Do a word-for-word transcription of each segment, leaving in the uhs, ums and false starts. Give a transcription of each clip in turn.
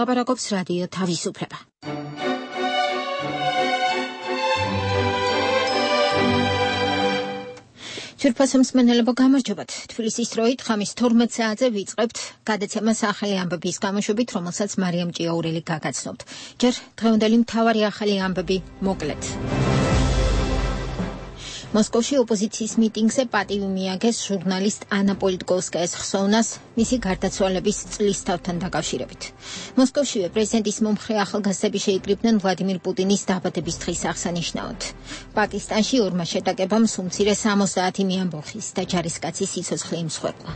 მოლაპარაკობს რადიო თავისუფლება. Čurpasam smenelebo გამარჯობათ. თბილისის დროით ხამის თორმეტ საათზე ვიწყებთ გადაცემას ახალი ამბების გამოშვებით, რომელსაც მარიამ ჭიაურელი გაგაცნობთ. ჯერ დღევანდელი მთავარი ახალი ამბები მოკლედ. მოსკოვში ოპოზიციის მიტინგზე პატივი მიაგეს ჟურნალისტ ანა პოლიტკოვსკაის ხსოვნას მისი გარდაცვალების წლისთავთან დაკავშირებით. მოსკოვშივე პრეზიდენტის მომხრე ახალგაზრდები შეიკრიბნენ ვლადიმირ პუტინის დაბადების დღის აღსანიშნავად. პაკისტანში ორმა შეტაკებამ სუმცირე სამოცდაათი მეამბოხის და ჯარისკაცის სიცოცხლე იმსხვერპლა.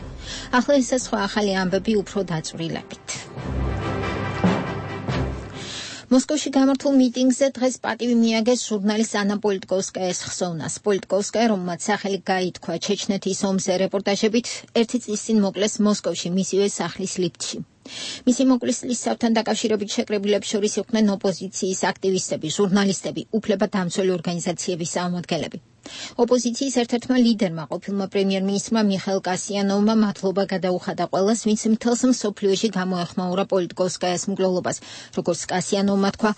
ახლა ეს სხვა ახალი ამბები უფრო დაწვრილებით. მოსკოვში გამართულ მიტინგზე დღეს პატივი მიაგეს ჟურნალისტ ანა პოლიტკოვსკაის ხსოვნას. პოლიტკოვსკაია, რომელმაც სახელი გაითქვა ჩეჩნეთის ომზე რეპორტაჟებით, ერთი წლის წინ მოკლეს მოსკოვში მისივე სახლის ლიფტში. მისი მოკლის წლისთავთან დაკავშირებით შეკრებილებს შორის იყვნენ ოპოზიციის აქტივისტები, ჟურნალისტები, უფლებადამცველი ორგანიზაციების წარმომადგენლები. ოპოზიციის ერთ-ერთმა ლიდერმა, ყოფილმა პრემიერ-მინისტრმა მიხაილ კასიანოვმა მადლობა გადაუხადა ყველას, ვინც მთელს მსოფლიოში გამოეხმაურა პოლიტკოვსკაიას მკვლელობას, როგორც კასიანოვმა თქვა,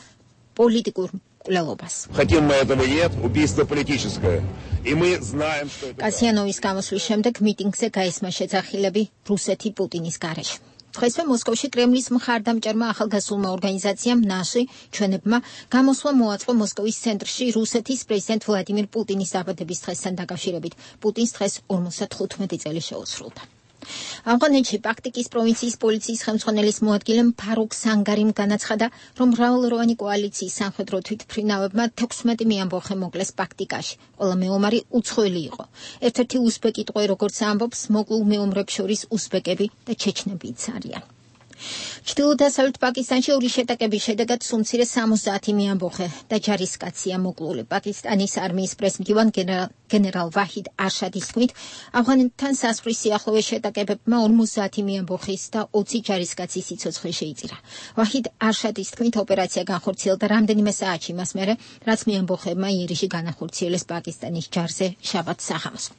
პოლიტიკურ მკვლელობას. კასიანოვის გამოსვლის შემდეგ მიტინგზე გაისმა შეძახილები რუსეთი პუტინის გარეშე. დღესვე მოსკოვში კრემლის მხარდამჭერმა ახალგაზრდულმა ორგანიზაციამ ნაში ჩვენებმა გამოსვლა მოაწყო მოსკოვის ცენტრში რუსეთის პრეზიდენტ ვლადიმირ პუტინის დაბადების დღესთან დაკავშირებით. პუტინს დღეს ორმოცდახუთმეტი წელი შეუსრულდა. ავღანეთში პაქტიკის პროვინციის პოლიციის ხელმძღვანელის მოადგილემ ფარუქ სანგარიმ განაცხადა, რომ მრავალროვანი კოალიციის სამხედრო თვითმფრინავებმა თექვსმეტი მეამბოხე მოკლეს პაქტიკაში. ყველა მეომარი უცხოელი იყო. ერთ-ერთი უზბეკი ტყვე, როგორც ამბობს, მოკლულ მეომრებს შორის უზბეკები და ჩეჩნებიც არიან. ჩრდილო-დასავლეთ პაკისტანში ორი შეტაკების შედეგად სუმცირე სამოცდაათი მეამბოხე და ჯარისკაცია მოკლული. პაკისტანის არმიის პრეზიდენტ გენერალ ვაჰიდ არშადის თქმით, ავღანეთთან სასვრის სიახლოვეს შეტაკებებმა ორმოცდაათი მეამბოხის და ოცი ჯარისკაცის სიცოცხლე შეიწირა. ვაჰიდ არშადის თქმით, ოპერაცია განხორციელდა რამდენიმე საათში მას მერე, რაც მეამბოხებმა იერიში განახორციელეს პაკისტანის ჯარზე შაბათ სახამს.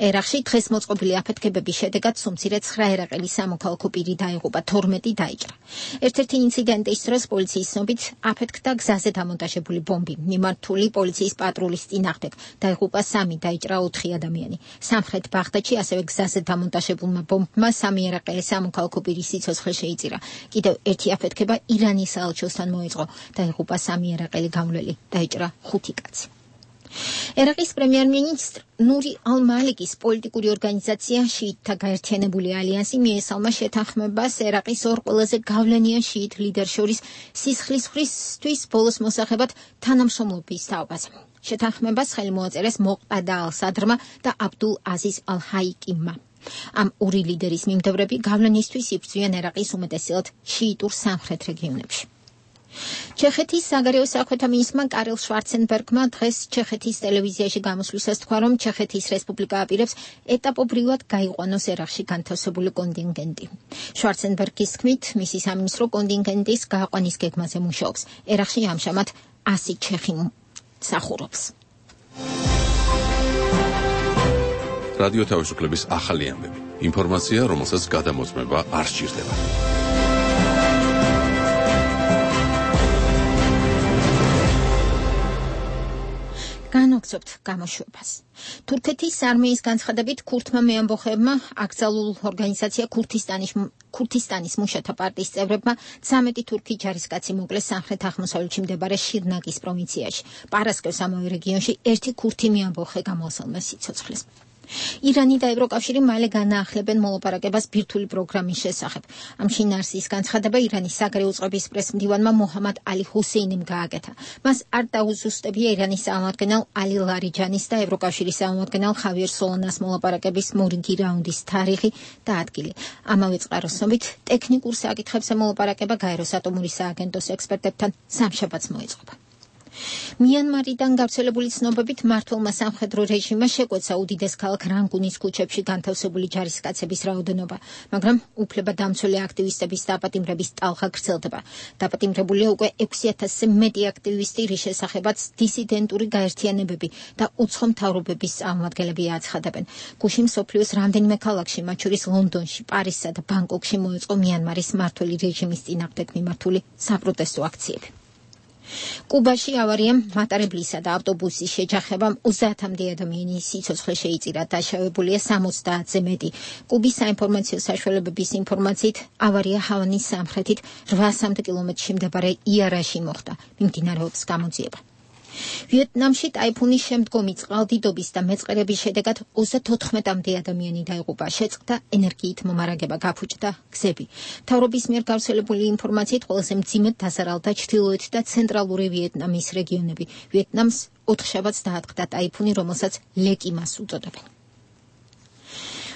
ერაყში დღეს მოწყობილი აფეთქებების შედეგად სუმცირე ცხრა ერაყელი სამოქალაქო პირი დაიღუპა, თორმეტი დაიჭრა. ერთ-ერთი ინციდენტის დროს პოლიციის ცნობით აფეთქდა გზაზე დამონტაჟებული ბომბი. მიმართული პოლიციის პატრულის წინააღმდეგ დაიღუპა სამი, დაიჭრა ოთხი ადამიანი. სამხრეთ ბაღდადში ასევე გზაზე დამონტაჟებულმა ბომბმა სამი ერაყელი სამოქალაქო პირის სიცოცხლე შეიწირა. კიდევ ერთი აფეთქება ირანის საელჩოსთან მოეწყო. დაიღუპა სამი ერაყელი გამვლელი, დაიჭრა ხუთი კაცი. ერაყის პრემიერ-მინისტრ ნური ალ-მალიკის პოლიტიკური ორგანიზაცია შიიტთა გაერთიანებული ალიანსი მიესალმა შეთანხმებას ერაყის ორ ყველაზე გავლენიან შიიტ ლიდერს შორის სისხლისღვრისთვის ბოლოს მოსახებად თანამშრომლობის თაობაზე. შეთანხმებას ხელი მოაწერეს მოყადა ალ-სადრმა და აბდულ აზიზ ალ-ჰაიკიმმა. ამ ორი ლიდერის მიმდევრები გავლენისთვის იბრძვიან ერაყის უმეტესად შიიტურ სამხრეთ რეგიონებში. ჩეხეთის საგარეო საქმეთა მინისტრმა კარელ შვარცენბერგმა დღეს ჩეხეთის ტელევიზიაში გამოსვლისას თქვა, რომ ჩეხეთის რესპუბლიკა აპირებს ეტაპობრივად გაიყვანოს ერაყში განთავსებული კონტინგენტი. შვარცენბერგის თქმით, მისი სამინისტრო კონტინგენტის გააყვანის გეგმაზე მუშაობს. ერაყში ამჟამად ასი ჩეხი მსახურობს. რადიო თავისუფლების ახალი ამბები. ინფორმაცია, რომელსაც გადამოწმება არ სჭირდება. განვაგრძობთ გამოშვებას. თურქეთის არმიის განცხადებით ქურთმა მეამბოხეებმა აკრძალულ ორგანიზაცია ქურთისტანის ქურთისტანის მუშათა პარტიის წევრებმა ცამეტი თურქი ჯარისკაცი მოკლეს სამხრეთ აღმოსავლეთში მდებარე შირნაგის პროვინციაში. პარასკევს ამავე რეგიონში ერთი ქურთი მეამბოხე გამოასალმეს სიცოცხლეს. ირანი და ევროკავშირი მალე განაახლებენ მოლაპარაკებას ბირთვული პროგრამის შესახებ. ამ შინაარსის განცხადება ირანის საგარეო წყობის პრესმდივანმა მოჰამად ალი ჰუსეინიმ გააკეთა. მას არ დაუზუსტებია ირანის წარმომადგენელ ალი ლარიჯანის და ევროკავშირის წარმომადგენელ ხავიერ სოლანას მოლაპარაკების მორიგი რაუნდის თარიღი და ადგილი. ამავე წყაროს ცნობით, ტექნიკურ საკითხებზე მოლაპარაკება გაეროს ატომური სააგენტოს ექსპერტებთან სამშაბათს მოეწყობა. მიანმარიდან გავრცელებული ცნობებით მმართველმა სამხედრო რეჟიმმა შეკვეცა უდიდეს ქალაქ რანგუნის ქუჩებში განთავსებული ჯარისკაცების რაოდენობა, მაგრამ უფლებადამცველი აქტივისტების დაპატიმრების ტალღა გრძელდება. დაპატიმრებულია უკვე ექვსი ათასზე მეტი აქტივისტი, რის შესახებაც დისიდენტური გაერთიანებები და უცხო მთავრობების წარმომადგენლები აცხადებენ. გუშინ მსოფლიოს რამდენიმე ქალაქში, მათ შორის ლონდონში, პარიზსა და ბანგკოკში მოეწყო მიანმარის მმართველი რეჟიმის წინააღმდეგ მიმართული საპროტესტო აქციები. კუბაში ავარიამ მატარებლისა და ავტობუსის შეჯახებამ ოცდაათამდე ადამიანის სიცოცხლე შეიწირა, დაშავებულია სამოცდაათზე მეტი. კუბის საინფორმაციო საშუალებების ინფორმაციით, ავარია ჰავანის სამხრეთით რვასამდე კილომეტრში მდებარე იარაში მოხდა. მიმდინარეობს გამოძიება. ვიეტნამში ტაიფუნის შემდგომი წყალდიდობის და მეწყერების შედეგად ოცდათოთხმეტამდე ადამიანი დაიღუპა, შეწყდა ენერგიით მომარაგება, გაფუჭდა გზები. მთავრობის მიერ გავრცელებული ინფორმაციით ყველაზე მძიმედ დასარალდა ჩრდილოეთ და ცენტრალური ვიეტნამის რეგიონები. ვიეტნამს ოთხშაბათს დაატყდა ტაიფუნი, რომელსაც ლეკიმას უწოდებენ.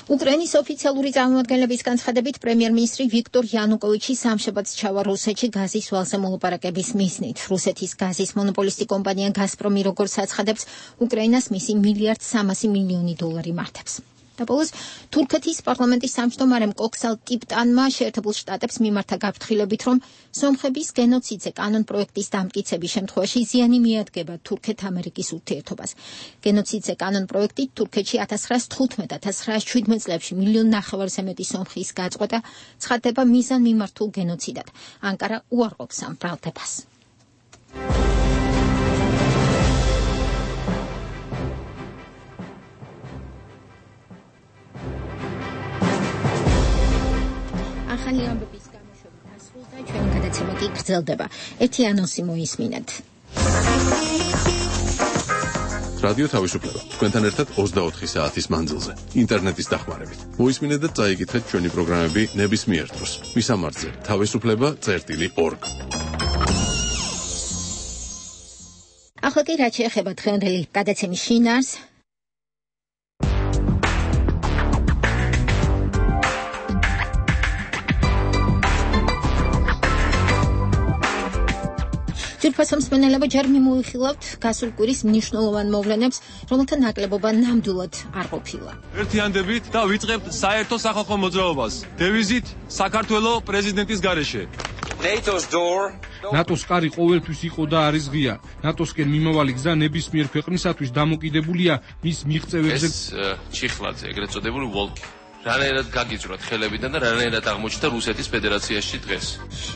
უკრაინის ოფიციალური წარმომადგენლების განცხადებით, პრემიერ-მინისტრი ვიქტორ იანუკოვიჩი სამშაბათს ჩავა რუსეთში გაზის ვალზე მოლაპარაკების მიზნით. რუსეთის გაზის მონოპოლისტი კომპანია გაზპრომი, როგორც აცხადებს, უკრაინას მისი მილიარდ სამასი მილიონი დოლარი მართებს. და ბოლოს თურქეთის პარლამენტის თავმჯდომარემ კოქსალ ტიპტანმა შეერთებულ შტატებს მიმართა გაფრთხილებით, რომ სომხების გენოციდზე კანონ-პროექტის დამტკიცების შემთხვევაში ზიანი მიადგება თურქეთ-ამერიკის ურთიერთობას. გენოციდზე კანონ-პროექტით თურქეთში ათას ცხრაას თხუთმეტ - ათას ცხრაას შვიდმეტ წლებში მილიონ ნახევარზე მეტი სომხის გაწყვეტა ცხადდება მიზანმიმართულ გენოციდად. ანკარა უარყოფს ამ ბრალდებას. ახალი ამბების გამოშვებით ასრულდა, ჩვენი გადაცემა კი გრძელდება. ერთი ანონსი მოისმინეთ. რადიო თავისუფლება თქვენთან ერთად ოცდაოთხი საათის მანძილზე ინტერნეტის დახმარებით. მოისმინეთ და წაიკითხეთ ჩვენი პროგრამები ნებისმიერ დროს. მისამართზე თავისუფლება წერტილი ორგ. ახლა კი რაც შეეხება დღევანდელი გადაცემის შინაარს, ძვირფასო მსმენელებო, ჯერ მიმოვიხილავთ გასულ კვირის მნიშვნელოვან მოვლენებს, რომელთა ნაკლებობა ნამდვილად არ ყოფილა. ერთიანდებით და ვიწყებთ საერთო სახალხო მოძრაობას. დევიზით საქართველოს პრეზიდენტის გარეშე. ნატოს კარი ყოველთვის იყო და არის ღია. ნატოსკენ მიმავალი გზა ნებისმიერ ქვეყნისათვის დამოკიდებულია მის მიღწევებზე. ეს ჩიხლაძე, ეგრეთ წოდებული ვოლკი. რანაირად გაგიძვრათ ხელებიდან და რანაირად აღმოჩნდა რუსეთის ფედერაციაში დღეს.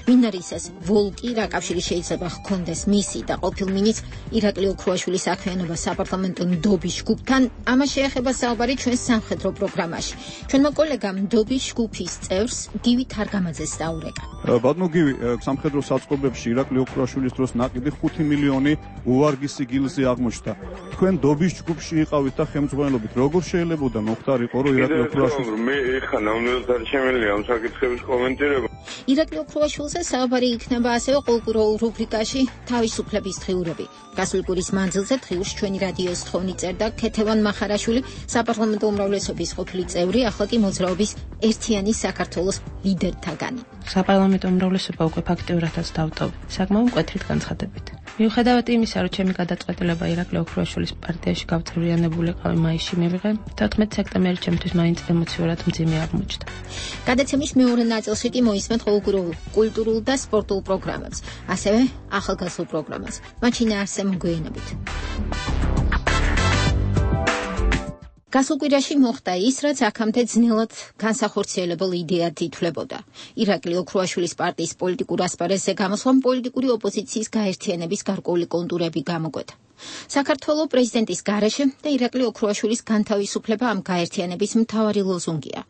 ვინ არის ეს ვოლკი, რა კავშირი შეიძლება ჰქონდეს მისი და ყოფილ მინისტრ ირაკლი ოქრუაშვილის საქმიანობა საპარლამენტო ნდობის ჯგუფთან? ამას შეეხება საუბარი ჩვენს სამხედრო პროგრამაში. ჩვენმა კოლეგამ ნდობის ჯგუფის წევრს გივი თარგამაძეს დაურეკა. ბატონო გივი, სამხედრო საწყობებში ირაკლი ოქრუაშვილის დროს ნაკიდი ხუთი მილიონი უვარგისი გილზე აღმოჩნდა. თქვენ ნდობის ჯგუფში იყავით და ხელმძღვანელობით როგორ შეიძლებოდა მოხდარიყო, რომ ირაკლი ოქრუაშვილის მე ეხა ნამდვილად შემიძლია ამ საკითხების კომენტირება. ირაკლი ოქრუაშვილზე საუბარი იქნება ასევე ყოველკვირეულ რუბრიკაში თავისუფლების დღიურები. გასული კვირის მანძილზე დღიურს ჩვენი რადიოს თხოვნი წერდა ქეთევან მახარაშვილი, საპარლამენტო უმრავლესობის ყოფილი წევრი, ახლა კი მოძრაობის ერთიანი საქართველოს ლიდერთაგანი. საპარლამენტო უმრავლესობა უკვე ფაქტიურადაც დავტოვე, საკმაოდ მკვეთრით განცხადებით. მიუხედავად იმისა, რომ ჩემი გადაწყვეტილება ირაკლი ოქრუაშვილის პარტიაში გავწევრიანებულიყავი მაისში მივიღე, თოთხმეტი სექტემბერი ჩემთვის მაინც ემოციურად მძიმე აღმოჩნდა. გადაცემის მეორე ნაწილში კი მოისმენთ ყოველკვირეულ კულტურულ და სპორტულ პროგრამებს, ასევე ახალგაზრდულ პროგრამას. მათ შინაარსზე მოგვიანებით. გასულ კვირაში მოხდა ის, რაც აქამდე ძნელად განსახორციელებელ იდეად ითვლებოდა. ირაკლი ოქრუაშვილის პარტიის პოლიტიკურ ასპარეზზე გამოსვლამ პოლიტიკური ოპოზიციის გაერთიანების გარკვეული კონტურები გამოკვეთა. საქართველოს პრეზიდენტის გარეშე და ირაკლი ოქრუაშვილის განთავისუფლება ამ გაერთიანების მთავარი ლოზუნგია.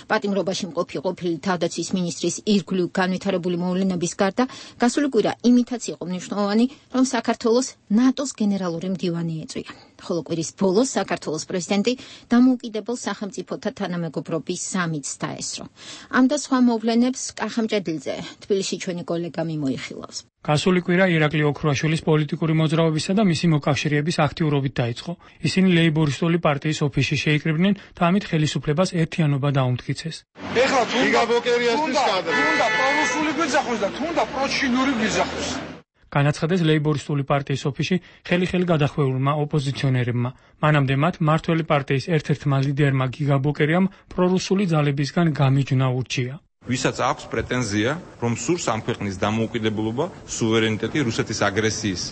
პატიმრობაში მყოფი ყოფილი თავდაცვის მინისტრის ირგვლივ განვითარებული მოვლენების გარდა, გასული კვირა იმითაც იყო მნიშვნელოვანი, რომ საქართველოს ნატოს გენერალური მდივანი ეწვია. ხოლო კვირის ბოლოს საქართველოს პრეზიდენტი დამოუკიდებელ სახელმწიფოთა თანამეგობრობის სამიტს დაესწრო. ამ და სხვა მოვლენებს კახამჭედლზე თბილისში ჩვენი კოლეგა მიმოიხილავს. გასული კვირა ირაკლი ოქრუაშვილის პოლიტიკური მოძრაობისა და მისი მოკავშირეების აქტიურობით დაიწყო. ისინი ლეიბორისტული პარტიის ოფისში შეიკრიბნენ და ამით ხელისუფლებას ერთიანობა დაუმტკიცეს. ეხლა თუნდა ბოკერიასთვის კადრი. თუნდა პრორუსული გვიძახოს და თუნდა პროჩინური გვიძახოს. განაცხადეს ლეიბორისტული პარტიის ოფისში ხელი-ხელი გადახვეულმა ოპოზიციონერებმა. მანამდე მათ მართველი პარტიის ერთ-ერთმა ლიდერმა გიგა ბოკერიამ პრორუსული ძალებისგან გამიჯვნა ურჩია. ვისაც აქვს პრეტენზია, რომ სურს ამ ქვეყნის დამოუკიდებლობა, სუვერენიტეტი, რუსეთის აგრესიის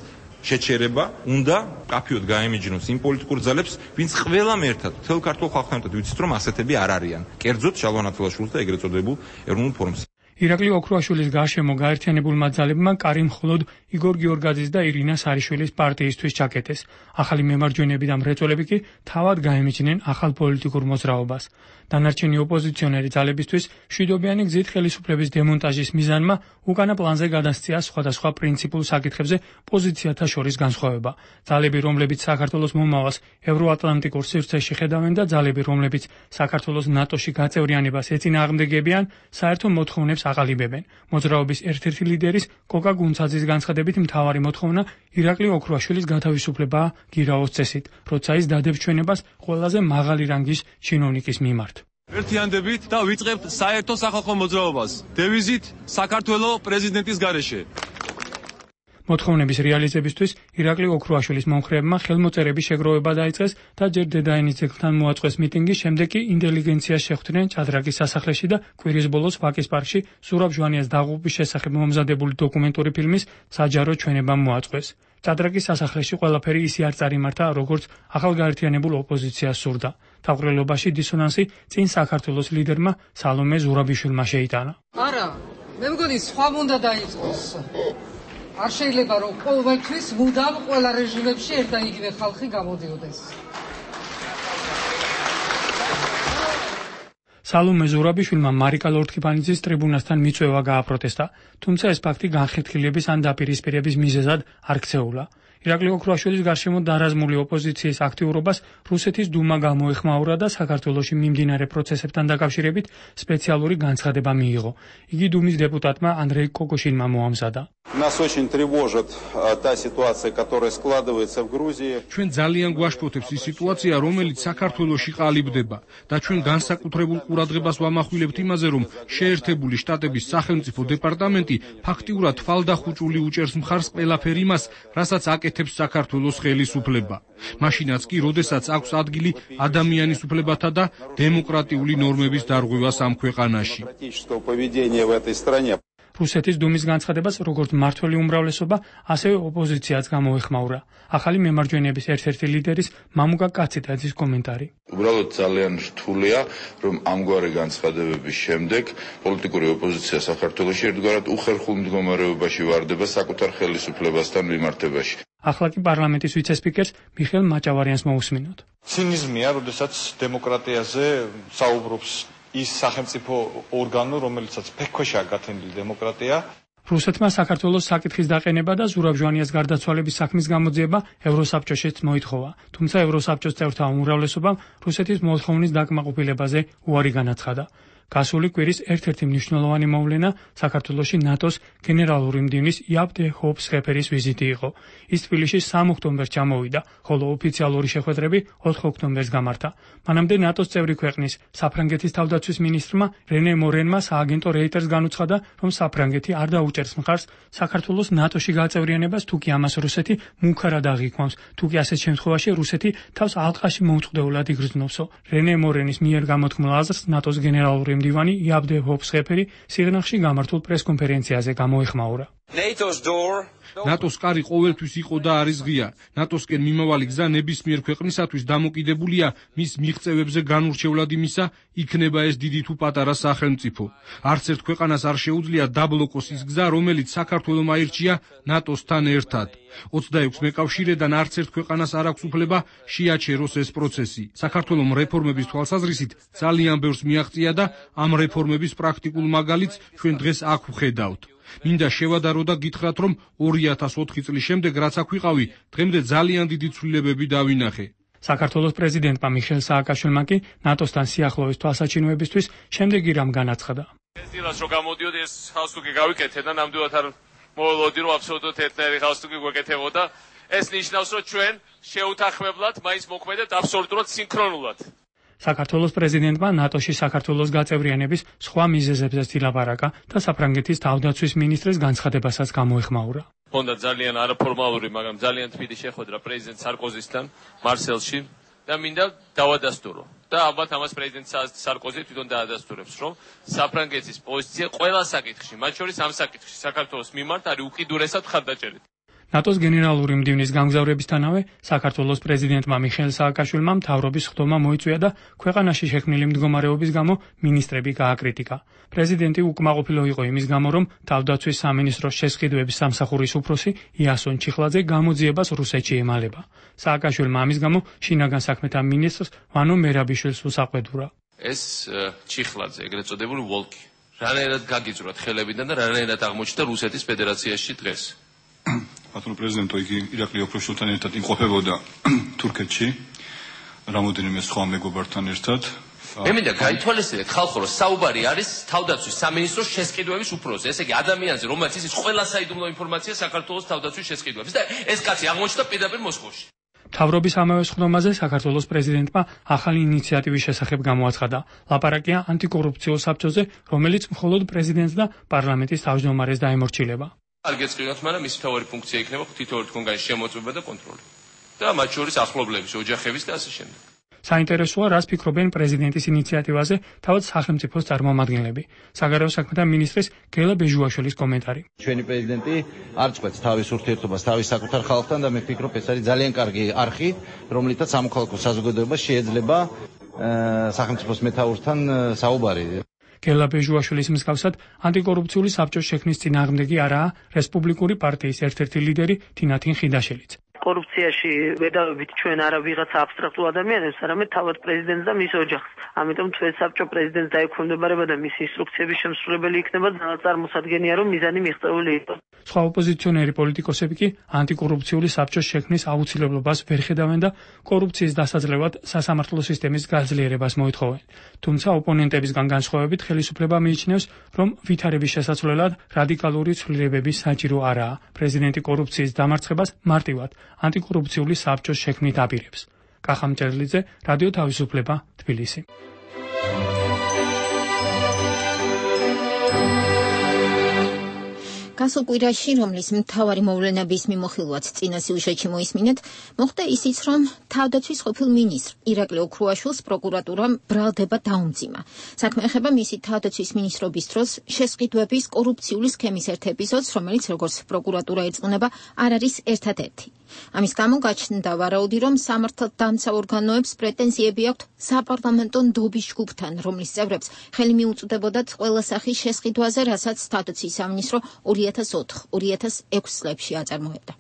შეჩერება, უნდა კაფიოდ გაემიჯნოს იმ პოლიტიკურ ძალებს, ვინც ყველამ ერთად, მთელ ქართულ ხალხთან ერთად ვიცით, რომ ასეთები არ არიან. კერძოდ შალვა ნათელაშვილს და ეგრეთ წოდებულ ეროვნულ ფორუმს. ირაკლი ოქრუაშვილის გარშემო გაერთიანებულმა ძალებმა კარი მხოლოდ იგორ გიორგაძის და ირინა სარიშვილის პარტიისთვის ჩაკეტეს. ახალი მემარჯვენეები და მრეწველები კი თავად გაემიჯნენ ახალ პოლიტიკურ მოძრაობას. დანარჩენი ოპოზიციონერი ძალებისთვის მშვიდობიანი გზით ხელისუფლების დემონტაჟის მიზანმა უკანა პლანზე გადასწია სხვადასხვა პრინციპულ საკითხებზე პოზიციათა შორის განსხვავება. ძალები, რომლებიც საქართველოს მომავალს ევროატლანტიკურ სივრცეში ხედავენ და ძალები, რომლებიც საქართველოს ნატოში გაწევრიანებას ეწინააღმდეგებიან, საერთო მოთხოვნებს აყალიბებენ. მოძრაობის ერთ-ერთი ლიდერის კოკა გუნცაძის განცხადებით მთავარი მოთხოვნა ირაკლი ოქრუაშვილის გათავისუფლებაა გირაოს წესით, როცა ის დადებს ჩვენებას ყველაზე მაღალი რანგის ჩინოვნიკის მიმართ. ერთიანდებით და ვიწყებთ საერთო სახალხო მოძრაობას. დევიზით საქართველო პრეზიდენტის გარეშე. მოთხოვნების რეალიზებისთვის ირაკლი ოქრუაშვილის მომხრეებმა ხელმოწერების შეგროვება დაიწყეს და ჯერ დედაენის ძეგლთან მოაწყვეს მიტინგი, შემდეგ კი ინტელიგენციას შეხვდნენ ჭადრაკის სასახლეში და კვირის ბოლოს ვაკის პარკში ზურაბ ჟვანიას დაღუპვის შესახებ მომზადებული დოკუმენტური ფილმის საჯარო ჩვენებამ მოაწყვეს. ჭადრაკის სასახლეში ყველაფერი ისე არ წარიმართა, როგორც ახალგაერთიანებულ ოპოზიციას სურდა. თავყრილობაში დისონანსი წინ საქართველოს ლიდერმა სალომე ზურაბიშვილმა შეიტანა. არა, მე მგონი სხვა უნდა დაიწყოს. არ შეიძლება რომ ყოველთვის მუდამ ყველა რეჟიმებში ერთ და იგივე ხალხი გამოდიოდეს. სალომე ზურაბიშვილმა მარიკა ლორთქიფანიძის ტრიბუნასთან მიწვევა გააპროტესტა, თუმცა ეს ფაქტი განხეთქილების ან დაპირისპირების მიზეზად არ ქცეულა. ირაკლი ოქრუაშვილის გარშემო დარაზმული ოპოზიციის აქტიურობას რუსეთის დუმა გამოეხმაურა და საქართველოში მიმდინარე პროცესებთან დაკავშირებით სპეციალური განცხადება მიიღო. იგი დუმის დეპუტატმა ანდრეი კოკოშინმა მოამზადა. Нас очень тревожит та ситуация, которая складывается в Грузии. ჩვენ ძალიან გვაშფოთებს ის სიტუაცია, რომელიც საქართველოში ყალიბდება და ჩვენ განსაკუთრებულ ყურადღებას ვამახვილებთ იმაზე, რომ შეერთებული შტატების სახელმწიფო დეპარტამენტი ფაქტიურად თვალდახუჭული უჭერს მხარს ყველაფერ იმას, რასაც აკეთებს საქართველოს ხელისუფლება. მაშინაც კი, როდესაც აქვს ადგილი ადამიანის უფლებათა და დემოკრატიული ნორმების დარღვევას ამ ქვეყანაში. რუსეთის დუმის განცხადებას როგორც მართველი უმრავლესობა, ასევე ოპოზიციაც გამოეხმაურა. ახალი მემარჯვენეების ერთ-ერთი ლიდერის მამუკა კაციტაძის კომენტარი. უბრალოდ ძალიან რთულია, რომ ამგვარი განცხადებების შემდეგ პოლიტიკური ოპოზიცია საქართველოში ერთგვარად უხერხულ მდგომარეობაში ვარდება საკუთარ ხელისუფლებასთან მიმართებაში. ახლა კი პარლამენტის ვიცე-სპიკერს მიხეილ მაჭავარიანს მოусმინოთ. ცინიზმია, როდესაც დემოკრატიაზე საუბრობს ის სახელმწიფო ორგანო, რომელიცაც ფეხქვეშაა გათენილი დემოკრატია. რუსეთმა საქართველოს საკითხის დაყენება და ზურაბ ჟვანიას გარდაცვალების საქმის გამოძიება ევროსაბჭოშიც მოითხოვა. თუმცა ევროსაბჭოს წევრთა უმრავლესობამ რუსეთის მოთხოვნის დაკმაყოფილებაზე უარი განაცხადა. გასული კვირის ერთ-ერთი მნიშვნელოვანი მოვლენა საქართველოში ნატოს გენერალური მდივნის იაბ დე ჰოპ-სხეფერის ვიზიტი იყო. ის თბილისში სამ ოქტომბერს ჩამოვიდა, ხოლო ოფიციალური შეხვედრები ოთხ ოქტომბერს გამართა. მანამდე ნატოს წევრი ქვეყნის საფრანგეთის თავდაცვის მინისტრმა რენე მორენმა სააგენტო რეიტერს განუცხადა, რომ საფრანგეთი არ დაუჭერს მხარს საქართველოს ნატოში გაწევრიანებას, თუ კი ამას რუსეთი მუქარად აღიქვამს, თუ კი ასეთ შემთხვევაში რუსეთი თავს ალყაში მომწყდეულად იგრძნովსო. რენე მორენის მიერ გამოთქმულ აზრს ნატოს გენერალური მდივანი იაბ დე ჰოპ-სხეფერი სიღნაღში გამართულ პრეს-კონფერენციაზე გამოეხმაურა. ნატოს კარი ყოველთვის იყო და არის ღია. ნატოსკენ მიმავალი გზა ნებისმიერ ქვეყნისათვის დამოკიდებულია მის მიღწევებზე განურჩევლად იმისა, იქნება ეს დიდი თუ პატარა სახელმწიფო. არც ერთ ქვეყანას არ შეუძლია დაბლოკოს ის გზა, რომელიც საქართველომ აირჩია ნატოსთან ერთად. ოცდაექვსი მეკავშირედან არც ერთ ქვეყანას არ აქვს უფლება შეაჩეროს ეს პროცესი. საქართველომ რეფორმების თვალსაზრისით ძალიან ბევრს მიაღწია და ამ რეფორმების პრაქტიკულ მაგალითს ჩვენ დღეს აქ ვხედავთ. მინდა შევადარო და გითხრათ, რომ ორი ათას ოთხი წლის შემდეგ, რაც აქ ვიყავი, დღემდე ძალიან დიდი ცვლილებები დავინახე. საქართველოს პრეზიდენტმა მიხეილ სააკაშვილმა კი ნატოსთან სიახლოვის თვალსაჩინოებისთვის შემდეგი რამ განაცხადა. ეს დილას რო გამოდიოდი, ეს ხავსტუკი გავიკეთე და ნამდვილად არ მოველოდი, რომ აბსოლუტურად ერთნაირი ხავსტუკი გვეკეთებოდა. ეს ნიშნავს, რომ ჩვენ შეუთანხმებლად მაინც მოქმედებთ აბსოლუტურად სინქრონულად. საქართველოს პრეზიდენტმა ნატოში საქართველოს გაწევრიანების სხვა მიზეზებზეც ილაპარაკა და საფრანგეთის თავდაცვის მინისტრის განცხადებასაც გამოეხმაურა. Honda ძალიან არაფორმალური, მაგრამ ძალიან თბილი შეხვედრა პრეზიდენტ სარკოზისთან მარსელში და მინდა დავადასტურო. და ალბათ ამას პრეზიდენტ სარკოზი თვითონ დაადასტურებს, რომ საფრანგეთის პოზიცია ყველა საკითხში, მათ შორის ამ საკითხში საქართველოს მიმართ არის უკიდურესად ხარდაჭერით. ნატოს გენერალური მდივნის გამგზავრებისთანავე საქართველოს პრეზიდენტმა მიხეილ სააკაშვილმა მთავრობის ხდომა მოიწვია და ქვეყანაში შექმნილი მდგომარეობის გამო მინისტრები გააკრიტიკა. პრეზიდენტი უკმაყოფილო იყო იმის გამო, რომ თავდაცვის სამინისტროს შესყიდვების სამსახურის უფროსი იასონ ჩიხლაძე გამოძიებას რუსეთში ემალება. სააკაშვილმა ამის გამო შინაგან საქმეთა მინისტრს ვანო მერაბიშვილს უსაყვედურა. ეს ჩიხლაძე, ეგრეთ წოდებული ვოლკი, რანაირად გაგიძვრათ ხელებიდან და რანაირად აღმოჩნდა რუსეთის ფედერაციაში დღეს. ბატონო პრეზიდენტო, იგი ირაკლი ოქროშვილთან ერთად იმყოფებოდა თურქეთში, რამოდენიმე სხვა მეგობართან ერთად. მე მინდა გაითვალისწინეთ ხალხო, რომ საუბარი არის თავდაცვის სამინისტროს შესყიდვების უფროსზე. ესე იგი ადამიანზე, რომელიც ის ყველა საიდუმლო ინფორმაცია საქართველოს თავდაცვის შესყიდვების და ეს კაცი აღმოჩნდა პირდაპირ მოსკოვში. მთავრობის ამავე ხდომაზე საქართველოს პრეზიდენტმა ახალი ინიციატივის შესახებ გამოაცხადა. ლაპარაკია ანტიკორუფციულ საბჭოზე, რომელიც მხოლოდ პრეზიდენტს და პარლამენტის თავმჯდომარეს დაემორჩილება. არ გეწყინოთ, მაგრამ მის მთავარი ფუნქცია იქნება თითოეულ თქვენგან შემოწმება და კონტროლი. და მათ შორის ახლობლების, ოჯახების და ასე შემდეგ. საინტერესოა, რას ფიქრობენ პრეზიდენტის ინიციატივაზე თავად სახელმწიფოს წარმომადგენლები. საგარეო საქმეთა მინისტრის გელა ბეჟუაშვილის კომენტარი. ჩვენი პრეზიდენტი არ წყვეტს თავის ურთიერთობას თავის საკუთარ ხალხთან და მე ვფიქრობ, ეს არის ძალიან კარგი არხი, რომლითაც სამოქალაქო საზოგადოებას შეიძლება სახელმწიფოს მეთაურთან საუბარი. გელა ბეჟუაშვილის მსგავსად ანტიკორუფციული საბჭოს შექმნის წინააღმდეგი არაა რესპუბლიკური პარტიის ერთ-ერთი ლიდერი თინათინ ხიდაშელიც. კორუფციაში ვედავებით ჩვენ არა ვიღაცა აბსტრაქტულ ადამიანებს, არამედ თავად პრეზიდენტს და მის ოჯახს. ამიტომ ჩვენ საბჭო პრეზიდენტს დაექვემდებარება და მის ინსტრუქციების შემსრულებელი იქნება წარმოსადგენია, რომ მიზანი მიღწეული იყოს. სხვა ოპოზიციონერი პოლიტიკოსები კი ანტიკორუფციული საბჭოს შექმნის აუცილებლობას ვერ ხედავენ და კორუფციის დასაძლევად სასამართლო სისტემის გაძლიერებას მოითხოვენ. თუმცა ოპონენტებისგან განსხვავებით ხელისუფლება მიიჩნევს, რომ ვითარების შესაცვლელად რადიკალური ცვლილებები საჭირო არაა. პრეზიდენტი კორუფციის დამარცხებას მარტივად ანტიკორუფციული საბჭოს შექმნით აპირებს. კახა მჭერლიძე, რადიო თავისუფლება, თბილისი. გასულ კვირაში, რომლის მთავარი მოვლენების მიმოხილვაც წინა სიუჟეტში მოისმინეთ, მოხდა ისიც, რომ თავდაცვის ყოფილ მინისტრ ირაკლი ოქრუაშვილს პროკურატურამ ბრალდება დაუმძიმა. საქმე ეხება მისი თავდაცვის მინისტრობის დროს შესყიდვების კორუფციული სქემის ერთ ეპიზოდს, რომელიც, როგორც პროკურატურა ეძღვნება, არ არის ერთადერთი. ამის გამო გაჩნდა ვარაუდი, რომ სამართალდამცავ ორგანოებს პრეტენზიები აქვთ საპარლამენტო ნდობის ჯგუფთან, რომლის წევრებს ხელი მიუწვდებოდათ ყველა სახის შესყიდვაზე, რასაც თავდაცვის სამინისტრო ორი ათას ოთხ ორი ათას ექვს წლებში აწარმოებდა.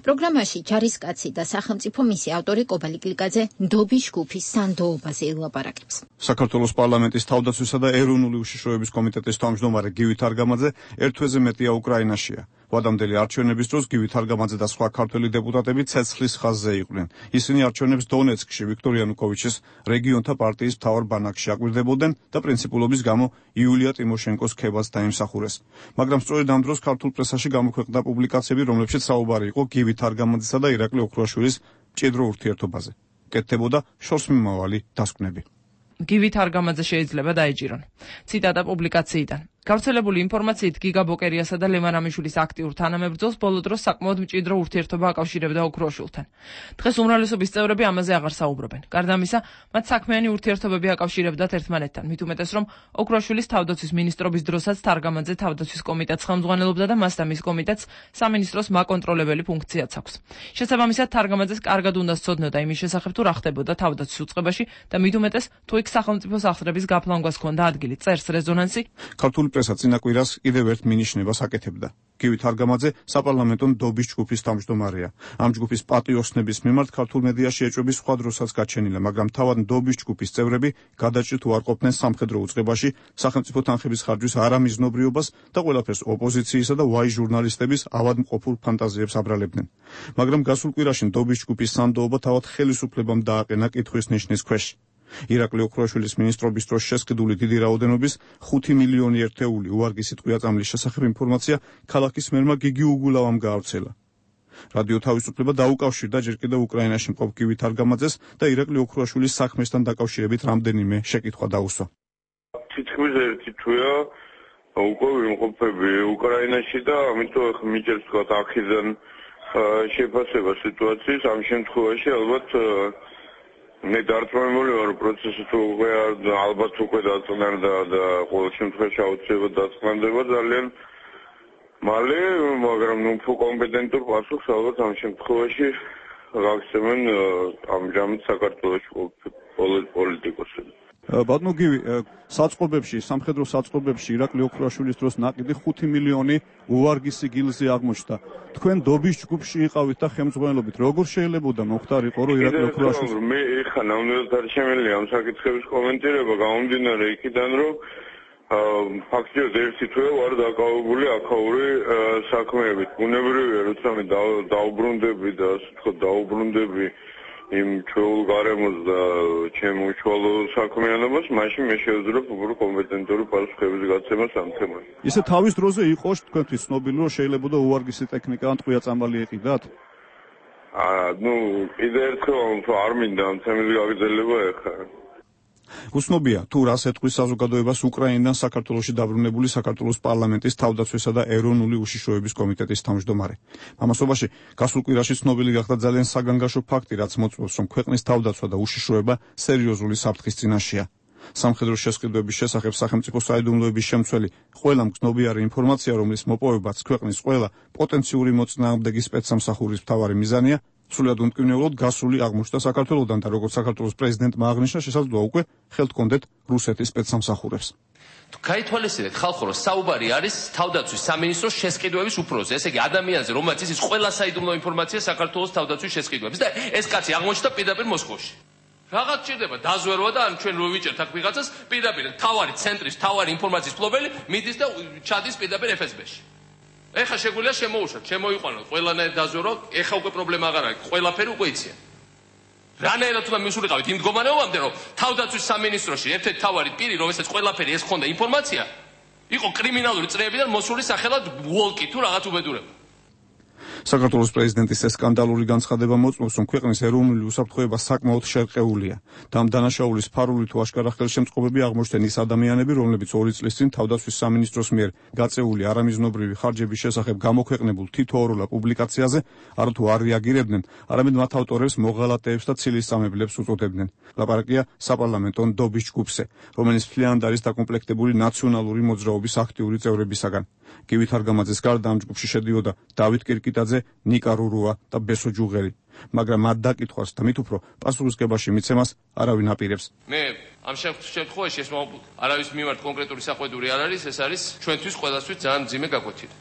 პროგრამაში ჯარისკაცი და სახელმწიფო მისი ავტორი კობალი გლიკაძე ნდობის ჯგუფის სანდოობაზე ელაპარაკებს. საქართველოს პარლამენტის თავდაცვისა და ეროვნული უშიშროების კომიტეტის თავმჯდომარე გივი თარგამაძე ერთ თვეზე მეტია უკრაინაშია. ვადამდელი არჩევნების დროს გივი თარგამაძე და სხვა ქართველი დეპუტატები ცეცხლის ხაზზე იყვნენ. ისინი არჩევნებს დონეცკში ვიქტორ იანუკოვიჩის რეგიონთა პარტიის მთავარ ბანაკში აკვირდებოდნენ და პრინციპულობის გამო იულია ტიმოშენკოს ქებას დაიმსახურეს. მაგრამ სწორედ ამ დროს ქართულ პრესაში გამოქვეყნდა პუბლიკაციები, რომლებშიც საუბარი იყო გივი თარგამაძესა და ირაკლი ოქრუაშვილის მჭიდრო ურთიერთობაზე. კეთდებოდა შორსმიმავალი დასკვნები. გივი თარგამაძე შეიძლება დაეჭირონ. ციტატა პუბლიკაციიდან. გავრცელებული ინფორმაციით გიგა ბოკერიასა და ლევან ამიშვილის აქტიურ თანამებრძოლს ბოლო დროს საკმაოდ მჭიდრო ურთიერთობა აკავშირებდა ოქრუაშვილთან. დღეს უმრავლესობის წევრები ამაზე აღარ საუბრობენ. გარდა ამისა, მათ საქმიანი ურთიერთობები აკავშირებდათ ერთმანეთთან, მით უმეტეს რომ ოქრუაშვილის თავდაცვის მინისტრობის დროსაც თარგამაძე თავდაცვის კომიტეტს ხელმძღვანელობდა და მას და მის კომიტეტს სამინისტროს მაკონტროლებელი ფუნქციაც აქვს. შესაბამისად, თარგამაძეს კარგად უნდა სცოდნოდა იმის შესახებ, თუ რა ხდებოდა თავდაცვის უწყებაში და მით უმეტეს თუ იქ სახელმწიფოს აღსრების გაფლანგვას ჰქონდა ადგილი. წერს რეზონანსი. ქართული პრესა წინა კვირას კიდევ ერთ მინიშნებას აკეთებდა. გივი თარგამაძე საპარლამენტო ნდობის ჯგუფის თავმჯდომარეა. ამ ჯგუფის პატიოსნების მიმართ ქართულ მედიაში ეჭვები სხვა დროსაც გაჩენილა, მაგრამ თავად ნდობის ჯგუფის წევრები გადაჭრით უარყოფდნენ სამხედრო უწყებაში სახელმწიფო თანხების ხარჯვის არამიზნობრიობას და ყველაფერს ოპოზიციისა და ვაი ჟურნალისტების ავადმყოფურ ფანტაზიებს აბრალებდნენ. მაგრამ გასულ კვირაში ნდობის ჯგუფის სანდოობა თავად ხელისუფლებამ დააყენა კითხვის ნიშნის ქვეშ. ირაკლი ოქრუაშვილის მინისტრობის დროს შესყიდული დიდი რაოდენობის ხუთი მილიონი ერთეული უვარგისი ტყვია-წამლის შესახებ ინფორმაცია ქალაქის მერმა გიგი უგულავამ გაავრცელა. რადიო თავისუფლება დაუკავშირდა ჯერ კიდევ უკრაინაში მყოფ გივით არგამაძეს და ირაკლი ოქროაშვილის საქმესთან დაკავშირებით რამდენიმე შეკითხვა დაუსვა. თითქმის ერთი თვეა უკვე ვიმყოფები უკრაინაში და ამიტომ ახლა მიჭერს თქვა აქედან შეფასება სიტუაციის. ამ შემთხვევაში ალბათ მე დარწმუნებული ვარ, პროცესი თუ უკვე ალბათ უკვე დაწყნარდა და ყოველ შემთხვევაში აუცილებლად დაწყნარდება ძალიან მალე, მაგრამ ნუ უფრო კომპეტენტურ პასუხს ალბათ ამ შემთხვევაში გაგცემენ ამჟამად საქართველოს პოლიტიკოსები. ბატონო გივი, საწყობებში, სამხედრო საწყობებში ირაკლი ოქროაშვილის დროს ნაკიდი ხუთი მილიონი უვარგისი გილზი აღმოჩნდა. თქვენ დობის ჯგუფში იყავით და ხელმძღვანელობით როგორ შეიძლებოდა მოხდარიყო, რომ ირაკლი ოქროაშვილს მე ეხა ნამდვილად არ შემიძლია ამ საკითხების კომენტირება, გამომდინარე იქიდან, რომ ფაქტიურად ერთი თვე ვარ დაკავებული აქაური საქმეებით. ბუნებრივია, როცა მე დაუბრუნდები და ასე ვთქვათ, დაუბრუნდები იმ ჩვეულ გარემოს და ჩემ უშუალო საქმიანობას, მაშინ მე შევძლებთ უფრო კომპეტენტური პასუხების გაცემას ამ თემაზე. ისე თავის დროზე იყო თქვენთვის ცნობილი, რომ შეიძლებოდა უვარგისი ტექნიკა ან ტყვია წამალი ეყიდათ? აა, ნუ კიდე ერთხელ არ მინდა ამ თემის გაგრძელება ეხლა. უცნობია თუ რას ეთქვის საზოგადოებას უკრაინიდან საქართველოში დაბრუნებული საქართველოს პარლამენტის თავდაცვისა და ეროვნული უშიშროების კომიტეტის თავმჯდომარე. ამასობაში გასულ კვირაში ცნობილი გახდა ძალიან საგანგაშო ფაქტი, რაც მოწმობს, რომ ქვეყნის თავდაცვა და უშიშროება სერიოზული საფრთხის წინაშეა. სამხედრო შესყიდვების შესახებ სახელმწიფო საიდუმლოების შემცველი ყველა მგზნობიარე ინფორმაცია, რომლის მოპოვებაც ქვეყნის ყველა პოტენციური მოწინააღმდეგი სპეცსამსახურის მთავარი მიზანია, სრულად უმკვნევლოდ გასული აღმოჩნდა საქართველოდან და როგორც საქართველოს პრეზიდენტმა აღნიშნა, შესაძლოა უკვე ხელთ კონდეთ რუსეთის სპეცსამსახურებს. თუ გაითვალისწინეთ ხალხო, რომ საუბარი არის თავდაცვის სამინისტროს შესყიდვების უფროზე, ესე იგი ადამიანზე, რომელიც იცის ყველა საიდუმლო ინფორმაცია საქართველოს თავდაცვის შესყიდვების და ეს კაცი აღმოჩნდა პირდაპირ მოსკოვში. რაღაც ჭირდება დაზვერვა და ან ჩვენ რო ვიჭერთ აქ ვიღაცას პირდაპირ თავარი ცენტრის თავარი ინფორმაციის ფლობელი მიდის და ჩადის პირდაპირ ეფ ეს ბე-ში. ეხა შეგვიძლია შემოუშვათ, შემოიყვანოთ ყველანაირ დაზვერვა, ეხა უკვე პრობლემა აღარ არის, ყველაფერი უკვე იციან. რანაირად უნდა მისულიყავით იმ მდგომარეობამდე, რომ თავდაცვის სამინისტროში ერთ-ერთი თავარი პირი, რომელსაც ყველაფერი ეს ხონდა ინფორმაცია, იყო კრიმინალური წრეებიდან მოსული სახელად ვოლკი თუ რაღაც უბედურება. საქართველოს პრეზიდენტის ეს სკანდალური განცხადება მოწმობს, რომ ქვეყნის ეროვნული უსაფრთხოება საკმაოდ შერყეულია და ამ დანაშაულის ფარული თუ აშკარა ხელშემწყობები აღმოჩნდნენ ის ადამიანები, რომლებიც ორი წლის წინ თავდაცვის სამინისტროს მიერ გაწეული არამიზნობრივი ხარჯების შესახებ გამოქვეყნებულ თითოეულა პუბლიკაციაზე არათუ არ რეაგირებდნენ, არამედ მათ ავტორებს მოღალატეებს და ცილისწამებლებს უწოდებდნენ. ლაპარაკია საპარლამენტო დობის ჯგუფზე, რომელიც მთლიანად არის დაკომპლექტებული ნაციონალური მოძრაობის აქტიური წევრებისაგან. გივით არგამაძეს გარდა ამ ჯგუფში შედიოდა დავით კირკიტაძე, ნიკა რურუა და ბესო ჯუღელი, მაგრამ მათ დაკითხვას და მით უფრო პასუხისგებაში მიცემას არავინ აპირებს. მე ამ შემთხვევაში ეს არავის მიმართ კონკრეტული საყვედური არ არის, ეს არის ჩვენთვის ყველასთვის ძალიან მძიმე გაკვეთილი.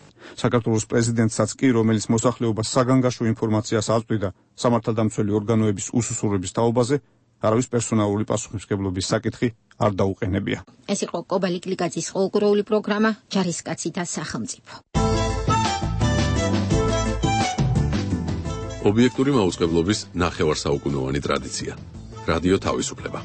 საქართველოს პრეზიდენტსაც კი, რომელიც მოსახლეობას საგანგაშო ინფორმაციას აწვდიდა სამართალდამცველი ორგანოების უსუსურების თაობაზე, არავის პერსონალური პასუხისმგებლობის საკითხი არ დაუყენებია. ეს იყო კობალი კლიკაძის ყოველკვირეული პროგრამა ჯარისკაცი და სახელმწიფო. ობიექტური მაუწყებლობის ნახევარსაუკუნოვანი ტრადიცია. რადიო თავისუფლება.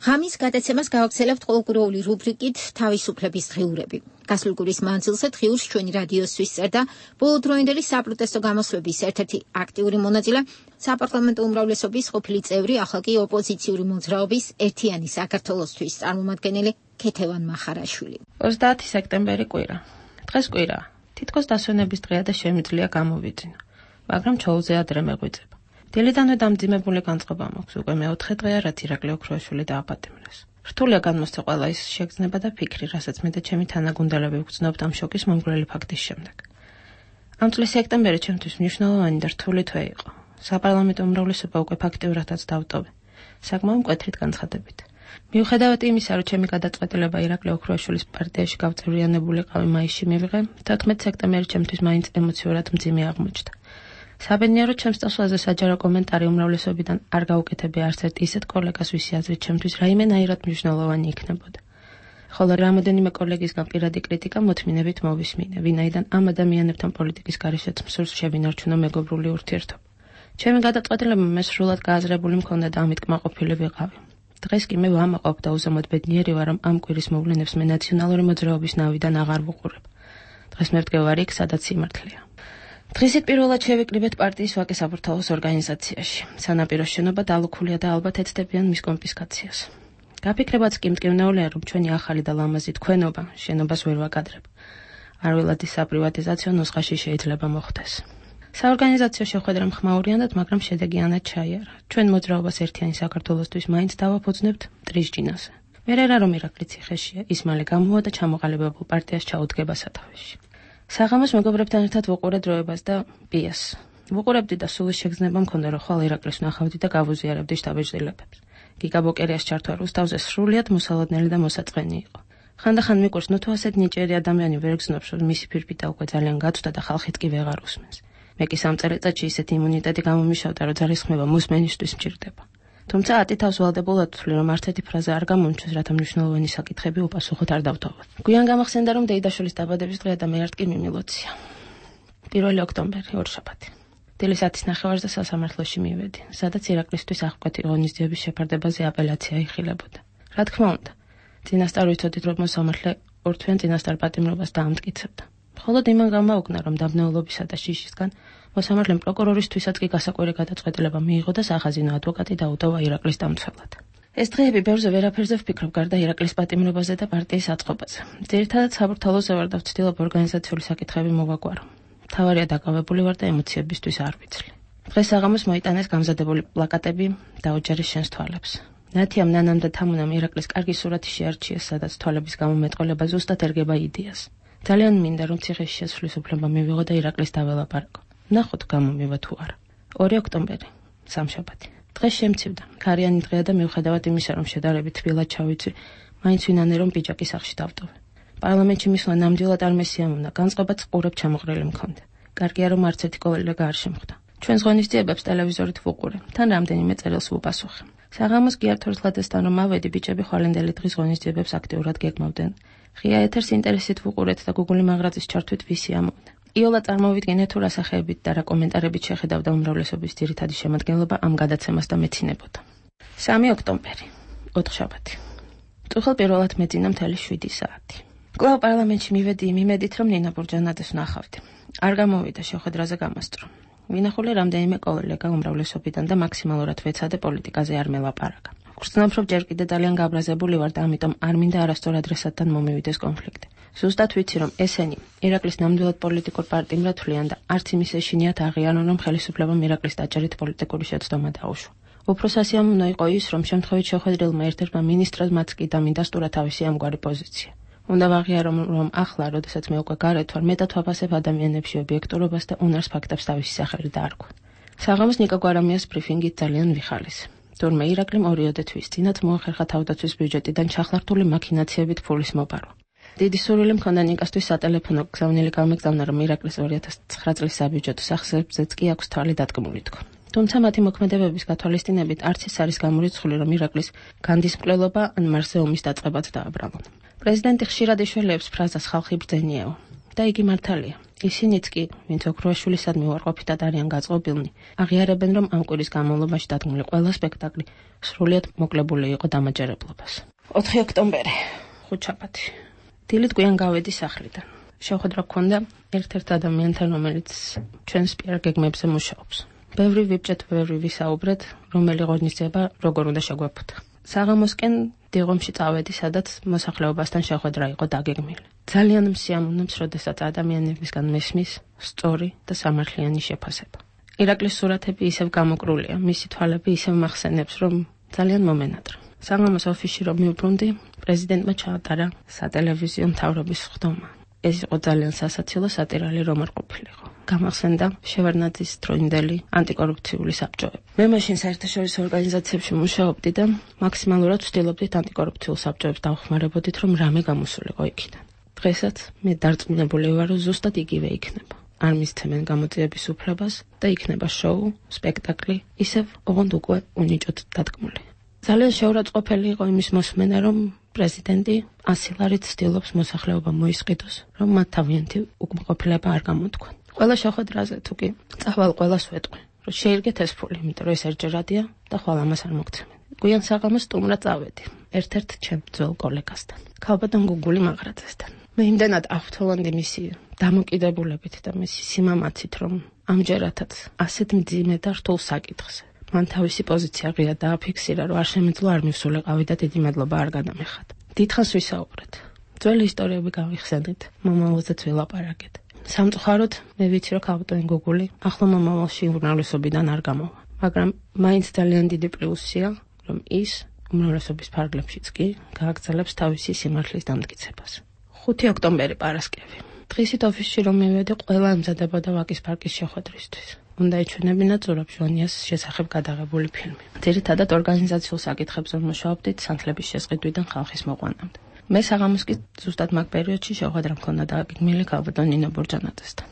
ღამის გადაცემას გავაგრძელებთ ყოველკვირეული რუბრიკით თავისუფლების დღიურები. გასულ კვირის მანძილზე დღიურს ჩვენი რადიოსთვის წერდა ბოლოდროინდელი საპროტესტო გამოსვლების ერთ-ერთი აქტიური მონაწილე, საპარლამენტო უმრავლესობის ყოფილი წევრი, ახლა კი ოპოზიციური მოძრაობის ერთიანი საქართველოსთვის წარმომადგენელი ქეთევან მახარაშვილი. ოცდაათი სექტემბერი კვირა. დღეს კვირაა. თითქოს დასვენების დღეა და შემიძლია გამოვიძინო, მაგრამ ჩაუზე ადრე მეღვიძება. დილიდანვე დამძიმებული განწყობა მაქვს, უკვე მეოთხე დღეა, რაც ირაკლი ოქროაშვილი დააპატიმრეს. რთულია განმოსცა ყველა ის შეგრძნება და ფიქრი, რასაც მე და ჩემი თანაგუნდელები ვგრძნობთ ამ შოკის მომგვრელი ფაქტის შემდეგ. ამ წლის სექტემბერი ჩემთვის მნიშვნელოვანი და რთული თვე იყო. საპარლამენტო უმრავლესობა უკვე ფაქტიურადაც დავტოვე, საკმაოდ მკვეთრით განცხადებით. მიუხედავად იმისა, რომ ჩემი გადაწყვეტილება ირაკლი ოქროაშვილის პარტიაში გავწევრიანებულიყავი მაისში მივიღე, თოთხმეტი სექტემბერი ჩემთვის მაინც ემოციურად მძიმე აღმოჩნდა. საბედნიეროდ ჩემს წასვლაზე საჯარო კომენტარი უმრავლესობიდან არ გაუკეთებია არც ერთ ისეთ კოლეგას, ვისი აზრით ჩემთვის რაიმენაირად მნიშვნელოვანი იქნებოდა. ხოლო რამოდენიმე კოლეგისგან პირადი კრიტიკა მოთმინებით მოვისმინე, ვინაიდან ამ ადამიანებთან პოლიტიკის გარეშეც მსურს შევინარჩუნო მეგობრული ურთიერთობა. ჩემი გადაწყვეტილება მე სრულად გააზრებული მქონდა და ამით კმაყოფილი ვიყავი. დღეს კი მე ვამაყობ და უზომოდ ბედნიერი ვარ, რომ ამ კვირის მოვლენებს მე ნაციონალური მოძრაობის ნავიდან აღარ ვუყურებ. დღეს მე ვდგევარი იქ, სადაც სიმართლეა. დღისით პირველად შევიკრიბეთ პარტიის ვაკე საბურთალოს ორგანიზაციაში. სანაპირო შენობა დალუქულია და ალბათ ეცდებიან მის კონფისკაციას. გაფიქრებაც კი მტკივნეულია, რომ ჩვენი ახალი და ლამაზი თქვენობა შენობას ვერ ვაკადრებ. არველადის საპრივატიზაციო ნუსხაში შეიძლება მოხდეს. საორგანიზაციო შეხვედრა მხმაურიანად, მაგრამ შედეგიანად ჩაიარა. ჩვენ მოძრაობას ერთიანი საქართველოსთვის მაინც დავაფუძნებთ მტრის ჯინაზე. ვერ არა რომ ირაკლი ციხეშია, ის მალე გამოვა და ჩამოყალიბებულ პარტიას ჩაუდგება სათავეში. საღამოს მეგობრებთან ერთად ვუყურე დროებას და პიესს. ვუყურებდი და სულის შეგრძნება მქონდა, რომ ხვალ ირაკლის ვნახავდი და გავუზიარებდი შტაბეჭდილებებს. გიგა ბოკერიას ჩართვა რუსთავზე სრულიად მოსალოდნელი და მოსაწყენი იყო. ხანდახან მიკვირს, ნუ თუ ასეთ ნიჭიერი ადამიანი ვერ გზნობს, რომ მისი ფირფიტა უკვე ძალიან გაწვდა და ხალხით კი ვეღარ უსმენს. მე კი სამ წელიწადში ისეთი იმუნიტეტი გამომიშავდა, რომ ძალისხმევა მოსმენისთვის მჭირდება. თუმცა ათი თავს ვალდებულად ვთვლი, რომ არცეთი ფრაზა არ გამომჩნევს, რათა მნიშვნელოვანი საკითხები უპასუხოდ არ დავთვალოთ. გვიან გამახსენდა, რომ დეიდაშვილის დაბადების დღეა და მე არ კი მიმილოცია. პირველი ოქტომბერი, ორშაბათი. დილის ათის ნახევარზე სასამართლოში მივედი, სადაც ირაკლისთვის აღკვეთი ღონისძიების შეფარდებაზე აპელაცია იხილებოდა. რა თქმა უნდა, წინასწარ ვიცოდით, რომ მოსამართლე ორთვიან წინასწარ პატიმრობას დაამტკიცებდა. მხოლოდ იმან გამაუგნა, რომ დაბნეულობისა და შიშისგან მოსამართლემ პროკურორისთვისაც კი გასაკვირი გადაწყვეტილება მიიღო და სახაზინო ადვოკატი დაუტოვა ირაკლის დამცველად. ეს დღეები ბევრზე ვერაფერზე ვფიქრობ, გარდა ირაკლის პატიმრობაზე და პარტიის აწყობაზე. ძირითადად საბურთალოზე ვარ და ვცდილობ ორგანიზაციული საკითხები მოვაგვარო. მთავარია დაკავებული ვარ და ემოციებისთვის არ ვიცლი. დღეს საღამოს მოიტანეს გამზადებული პლაკატები დაუჯერის შენს თვალებს. ნათიამ, ნანამ და თამუნამ ირაკლის კარგი სურათი შეარჩიეს, სადაც თვალების გამომეტყველება ზუსტად ერგება იდეას. ძალიან მინდა, რომ ციხეში შესვლის უფლება მივიღო და ირაკლის დაველაპარაკო. ნახოთ გამომივა თუ არა. ორი ოქტომბერი, სამშაბათი. დღეს შემცივდა. ქარიანი დღეა და მიუხედავად იმისა, რომ შედარებით თბილად ჩავიცვი, მაინც ვინანე რომ პიჯაკის სახლში დავტოვე. პარლამენტში მისვლა ნამდვილად არ მესიამოვნა, განწყობაც ყურებ ჩამოყრილი მქონდა. კარგია, რომ არც ერთი კოლეგა არ შემხვდა. ჩვენს ღონისძიებებს ტელევიზორით ვუყურე, თან რამდენიმე წერილს ვუპასუხე. საღამოს კი არ თორსლადესთან რომ ავედი, ბიჭები ხვალინდელი დღის ღონისძიებებს აქტიურად გეგმავდნენ. ღია ეთერს ინტერესით ვუყურეთ და გუგული მაღრაცის ჩართვით ვისი ამოვიდა. იოლა წარმოვიდგინე თუ რა სახეებით და რა კომენტარებით შეხედავდა უმრავლესობის ძირითადი შემადგენლობა ამ გადაცემას და მეცინებოდა. სამი ოქტომბერი, ოთხშაბათი. წუხელ პირველად მეძინა მთელი შვიდი საათი. კვლავ პარლამენტში მივედი იმ იმედით, რომ ნინა ბურჯანაძეს ვნახავდი. არ გამოვიდა შეხვედრაზე გამასწრო. ვინახული რამდენიმე კოლეგა უმრავლესობიდან და მაქსიმალურად ვეცადე პოლიტიკაზე არ მელაპარაკა. ვგრძნობ, რომ ჯერ კიდე ძალიან გაბრაზებული ვარ და ამიტომ არ მინდა არასწორ ადრესატთან მომივიდეს კონფლიქტი. ზუსტად ვიცი, რომ ესენი ირაკლის ნამდვილად პოლიტიკურ პარტიმრად თვლიან და არც იმის ეშინიათ აღიარონ, რომ ხელისუფლებამ ირაკლის დაჭერით პოლიტიკური შეცდომა დაუშვა. უფრო სასიამოვნო იყო ის, რომ შემთხვევით შეხვედრილმა ერთ-ერთმა მინისტრად მათ კი დამინდასტურა თავისი ამგვარი პოზიცია. უნდა ვაღიარო, რომ ახლა, როდესაც მე უკვე გარეთ ვარ, მეტად ვაფასებ ადამიანებში ობიექტურობას და უნარს ფაქტებს თავისი სახელი დაარქვა. საღამოს ნიკა გვარამიას ბრიფინგით ძალიან ვიხალისე. თურმე ირაკლიმ ორიოდე თვის წინათ მოახერხა თავდაცვის ბიუჯეტიდან ჩახლართული მაქინაციებით ფულის მოპარვა. დიდი სურვილი მქონდა ნიკასთვის სატელეფონო გზავნილი გამეგზავნა, რომ ირაკლის ორი ათას ცხრა წლის საბიუჯეტო სახსრებზეც კი აქვს თვალი დადგმული თქო. თუმცა მათი მოქმედებების გათვალისწინებით არც ის არის გამორიცხული, რომ ირაკლის განდის მკვლელობა ან მარსზე ომის დაწყებაც დააბრალონ. პრეზიდენტი ხშირად ეშველეებს ფრაზას ხალხი ბრძენიაო და იგი მართალია. ისინიც კი, ვინც ოქროაშვილისადმი უარყოფითად არიან გაწყობილნი, აღიარებენ, რომ ამ კვირის განმავლობაში დადგმული ყველა სპექტაკლი სრულიად მოკლებული იყო დამაჯერებლობას. ოთხი ოქტომბერი, ხუთშაბათი. დილით გვიან გავედი სახლიდან. შეხვედრა გქონდა ერთ-ერთ ადამიანთან, რომელიც ჩვენს პიარ გეგმებზე მუშაობს. ბევრი ვიბჭეთ, ბევრი ვისაუბრეთ, რომელი ღონისძიება როგორ უნდა შეგვეფუთა. საღამოსკენ დიღომში წავედი, სადაც მოსახლეობასთან შეხვედრა იყო დაგეგმილი. ძალიან მსიამოვნებს, როდესაც ადამიანებისგან მესმის სწორი და სამართლიანი შეფასება. ირაკლის სურათები ისევ გამოკრულია, მისი თვალები ისევ მახსენებს, რომ ძალიან მომენატრა. საღამოს ოფისში რომ მივბრუნდი, პრეზიდენტმა ჩაატარა სატელევიზიო მთავრობის ხდომა. ეს იყო ძალიან სასაცილო სატირალი რომ არ ყოფილიყო. გამახსენდა შევარდნაძის დროინდელი ანტიკორუფციული საბჭოები. მე მაშინ საერთაშორისო ორგანიზაციებში მუშაობდი და მაქსიმალურად ვცდილობდით ანტიკორუფციულ საბჭოებს დავხმარებოდით, რომ რამე გამოსულიყო იქიდან. დღესაც მე დარწმუნებული ვარ, რომ ზუსტად იგივე იქნება. არ მისცემენ გამოძიების უფლებას და იქნება შოუ, სპექტაკლი, ისევ ოღონდ უკვე უნიჭოდ დადგმული. ძალიან შეურაცხყოფელი იყო იმის მოსმენა, რომ პრეზიდენტი ასილარით ცდილობს მოსახლეობა მოისყიდოს, რომ მათ თავიანთი უკმაყოფილება არ გამოთქვან. ყველა შეხვედრაზე თუ კი წავალ ყველას ვეტყვი, რომ შეირგეთ ეს ფული, იმიტომ რომ ეს ერჯერადია და ხვალ ამას არ მოგცემენ. გვიან საღამოს სტუმრად წავედი, ერთ-ერთ ჩემ ძველ კოლეგასთან, ქალბატონ გუგული მაღრაძესთან. მე იმდენად ავთოვანდი მისი დამოკიდებულებით და მისი სიმამაცით, რომ ამჯერადაც ასეთ მძიმე და რთულ საკითხზე მან თავისი პოზიცია ღია დააფიქსირა, რომ არ შემეძლო არ მივსულიყავი და დიდი მადლობა არ გადამეხად. დიდხანს ვისაუბრეთ. ძველი ისტორიები გავიხსენით, მომავალზეც ვილაპარაკეთ. სამწუხაროდ, მე ვიცი, რომ ქალბატონი გოგული ახლო მომავალში უმრავლესობიდან არ გამოვა, მაგრამ მაინც ძალიან დიდი პლუსია, რომ ის უმრავლესობის ფარგლებშიც კი გააგრძელებს თავისი სიმართლის დამტკიცებას. ხუთი ოქტომბერი პარასკევი. დღისით ოფისში რომ მივედი, ყველა ემზადებოდა ვაკის პარკის შეხვედრისთვის. უნდა ეჩვენებინა ზურაბ ჟვანიას შესახებ გადაღებული ფილმი. ძირითადად ორგანიზაციულ საკითხებზე მუშაობდით სანთლების შესყიდვიდან ხალხის მოყვანამდე. მე საღამოს კი ზუსტად მაგ პერიოდში შეხვედრა მქონდა დაგეგმილი ქალბატონ ნინო ბურჯანაძესთან.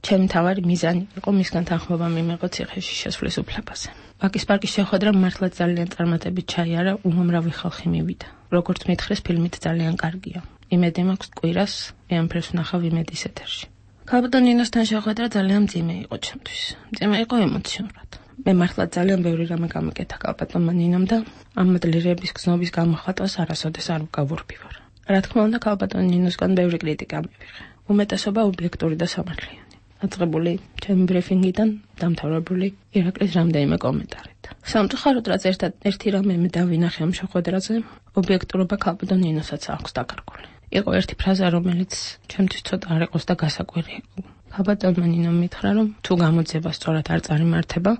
ჩემი მთავარი მიზანი იყო მისგან თანხმობა მიმეღო ციხეში შესვლის უფლებაზე. ვაკის პარკის შეხვედრა მართლაც ძალიან წარმატებით ჩაიარა, უამრავი ხალხი მივიდა. როგორც მითხრეს, ფილმით ძალიან კარგია. იმედი მაქვს კვირას ეამფერს ვნახავ იმედის ეთერში. ქალბატონ ნინოსთან შეხვედრა ძალიან მძიმე იყო ჩემთვის. მძიმე იყო ემოციურად. მე მართლაც ძალიან ბევრი რამე გამიკეთა ქალბატონმა ნინომ და ამ მადლიერების გზნობის გამოხატვას არასოდეს არ გავურბივარ. რა თქმა უნდა, ქალბატონ ნინოსგან ბევრი კრიტიკა მივიღე. უმეტესობა ობიექტური და სამართლიანი. დაწყებული ჩემი ბრიფინგიდან დამთავრებული ირაკლის რამდენიმე კომენტარით. სამწუხაროდ, რაც ერთად ერთი რამე მე დავინახე ამ შეხვედრაზე, ობიექტურობა ქალბატონ ნინოსაც აქვს დაკარგული. იყო ერთი ფრაზა, რომელიც ჩემთვის ცოტა არ იყოს და გასაკვირი იყო. ქალბატონმა ნინომ მითხრა, რომ თუ გამოძიება სწორად არ წარიმართება,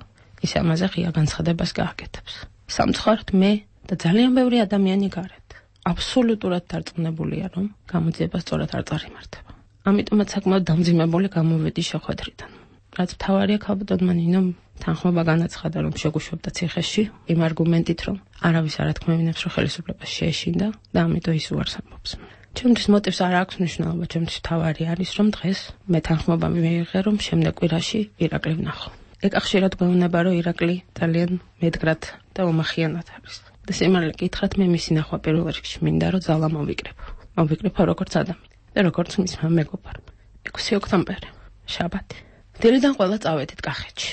ის ამაზე ღია განცხადებას გააკეთებს. სამწუხაროდ, მე და ძალიან ბევრი ადამიანი გარეთ აბსოლუტურად დარწმუნებულია, რომ გამოძიება სწორად არ წარიმართება. ამიტომაც საკმაოდ დამძიმებული გამოვედი შეხვედრიდან. რაც მთავარია, ქალბატონმა ნინომ თანხმობა განაცხადა, რომ შეგუშვებდა ციხეში, იმ არგუმენტით, რომ არავის არ ათქმევინებს, რომ ხელისუფლებას შეეშინდა და ამიტომ ის უარს ამბობს. ჩემთვის მოტივს არ აქვს მნიშვნელობა, ჩემთვის მთავარი არის, რომ დღეს მე თანხმობა მივიღე, რომ შემდეგ კვირაში ირაკლი ვნახო. ეკა ხშირად გვეუბნება, რომ ირაკლი ძალიან მედგრად და უმახიანად არის. და სიმართლე გითხრათ, მე მისი ნახვა პირველ რიგში მინდა, რომ ძალა მოვიკრებო. მოვიკრებო როგორც ადამიანი და როგორც მისმა მეგობარმა. ექვსი ოქტომბერი, შაბათი. დილიდან ყველა წავედით კახეთში.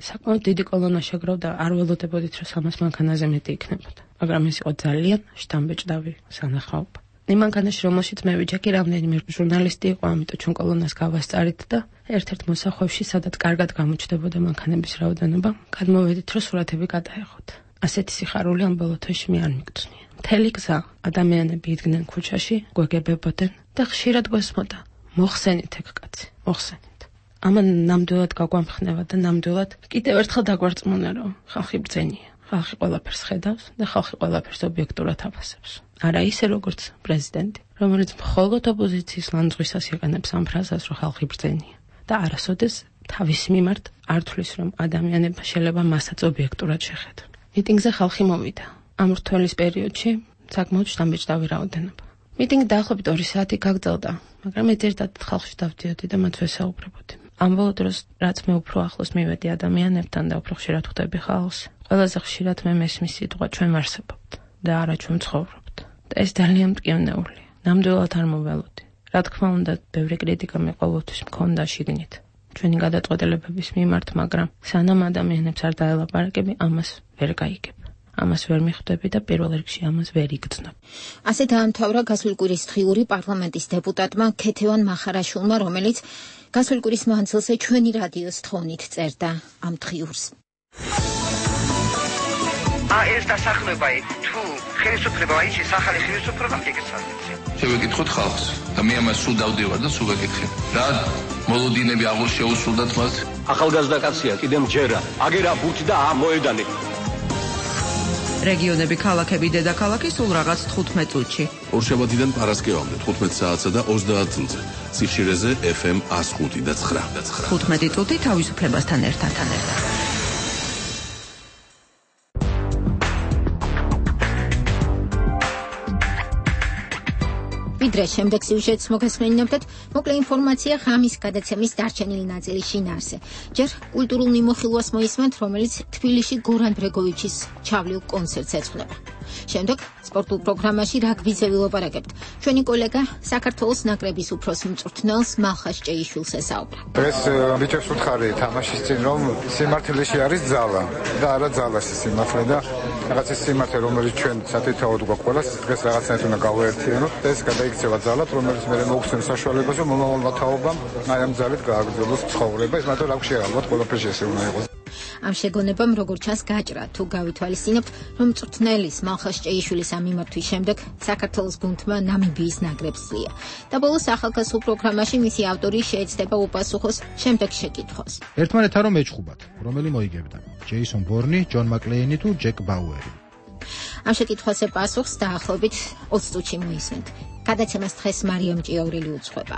საკმაოდ დიდი კოლონა შეგროვდა, არ ველოდებოდით, რომ სამას მანქანაზე მეტი იქნებოდა. მაგრამ ეს იყო ძალიან შთამბეჭდავი სანახაობა. იმ მანქანაში, რომელშიც მე ვიჯექი, რამდენიმე ჟურნალისტი იყო, ამიტომ ჩვენ კოლონას გავასწარით და ერთ-ერთ მოსახვევში, სადაც კარგად გამოჩნდებოდა მანქანების რაოდენობა, გადმოვედით, რომ სურათები გადაეღოთ. ასეთი სიხარული ამ ბოლო თვეში მე არ მიგწვნია. მთელი გზა ადამიანები იდგნენ ქუჩაში, გვეგებებოდნენ და ხშირად გვესმოდა, მოხსენით ეგ კაცი, მოხსენით. ამან ნამდვილად გაგვამხნევა და ნამდვილად კიდევ ერთხელ დაგვარწმუნა, რომ ხალხი ბრძენია. ხალხი ყველაფერს ხედავს და ხალხი ყველაფერს ობიექტურად აფასებს. არა ისე როგორც პრეზიდენტი, რომელიც მხოლოდ ოპოზიციის ლანძღვისას იყენებს ამ ფრაზას, რომ ხალხი ბრძენია და არასოდეს თავის მიმართ არ თვლის, რომ ადამიანებმა შეიძლება მასაც ობიექტურად შეხედონ. მიტინგზე ხალხი მოვიდა. ამ რთველის პერიოდში საკმაოდ შთამბეჭდავი რაოდენობა. მიტინგი დაახლოებით ორი საათი გაგრძელდა, მაგრამ მე ერთად ხალხში დავდიოდი და მათ ვესაუბრებოდი. ამ ბოლო დროს, რაც მე უფრო ახლოს მივედი ადამიანებთან და უფრო ხშირად ხვდები ხალხს, ყველაზე ხშირად მე მესმის სიტყვა ჩვენ ვარსებობთ და არა ჩვენ ცხოვრობთ. და ეს ძალიან მტკივნეულია. ნამდვილად არ მოველოდი. რა თქმა უნდა, ბევრი კრიტიკა მე ყოველთვის მქონდა შიგნით ჩვენი გადაწყვეტილებების მიმართ, მაგრამ სანამ ადამიანებს არ დაელაპარაკები, ამას ვერ გაიგებ. ამას ვერ მიხვდები და პირველ რიგში ამას ვერ იგრძნობ. ასე დაამთავრა გასული კვირის დღიური პარლამენტის დეპუტატმა ქეთევან მახარაშვილმა, რომელიც გასული კვირის მანძილზე ჩვენი რადიოს თხოვნით წერდა ამ დღიურს. ა ეს დასახლება თუ ხელისუფლება აიჩის ახალი ხელისუფლება მიგეცადეთ. შევეკითხოთ ხალხს და მე ამას სულ დავდივარ და სულ ვეკითხებ. რა მოლოდინები აღარ შეუსრულდათ მას? ახალგაზრდა კაცია, კიდემ ჯერა, აგერა ბურთი და ამოედანი. რეგიონები, ქალაქები, დედაქალაქი სულ რაღაც თხუთმეტ წუთში. ორშაბათიდან პარასკევამდე თხუთმეტ საათსა და ოცდაათ წუთზე. სიხშირეზე ეფ ემ ათს ხუთი და ცხრა. თხუთმეტი წუთი თავისუფლებასთან ერთად. ვიდრე შემდეგ სიუჟეტს მოგესმენინებთ, მოკლე ინფორმაცია ღამის გადაცემის დარჩენილი ნაწილის შინაარსზე. ჯერ კულტურულ მიმოხილვას მოისმენთ, რომელიც თბილისში გორან ბრეგოვიჩის ჩავლილ კონცერტს ეძღვნება. შემდეგ სპორტულ პროგრამაში რაგბიზე ვილაპარაკებთ. ჩვენი კოლეგა საქართველოს ნაკრების უფროს მწვრთნელს მალხას ჭეიშვილს ესაუბრა. დღეს ბიჭებს ვუთხარი თამაშის წინ რომ სიმართლეში არის ძალა და არა ძალაში სიმართლე და რაღაც ის სიმართლე რომელიც ჩვენ სათითაოდ გვაქვს ყველას დღეს რაღაცნაირად უნდა გავაერთიანოთ და ეს გადაიქცევა ძალად რომელიც მე მოგხსენს საშუალებას რომ მომავალმა თაობამ აი ამ ძალით გააგრძელოს ცხოვრება ეს მაგრამ აქ შეალბათ ყველაფერში ესე უნდა იყოს. ამ შეგონებამ როგორც ჩანს გაჭრა თუ გავითვალისწინებთ რომ მწვრთნელის მალხას ჭეიშვილის ამ მიმართვის შემდეგ საქართველოს გუნდმა ნამიბიის ნაკრებს ზია და ბოლოს ახალგაზრდულ პროგრამაში მისი ავტორი შეეცდება უპასუხოს შემდეგ შეკითხვას. ერთმანეთთან რომ ეჭხუბათ, რომელი მოიგებდა? ჯეისონ ბორნი, ჯონ მაკლეინი თუ ჯეკ ბაუერი? ამ შეკითხვაზე პასუხს დაახლოებით ოცი წუთში მოისმენთ. გადაცემას დღეს მარიამ ჭიაურელი უძღვება.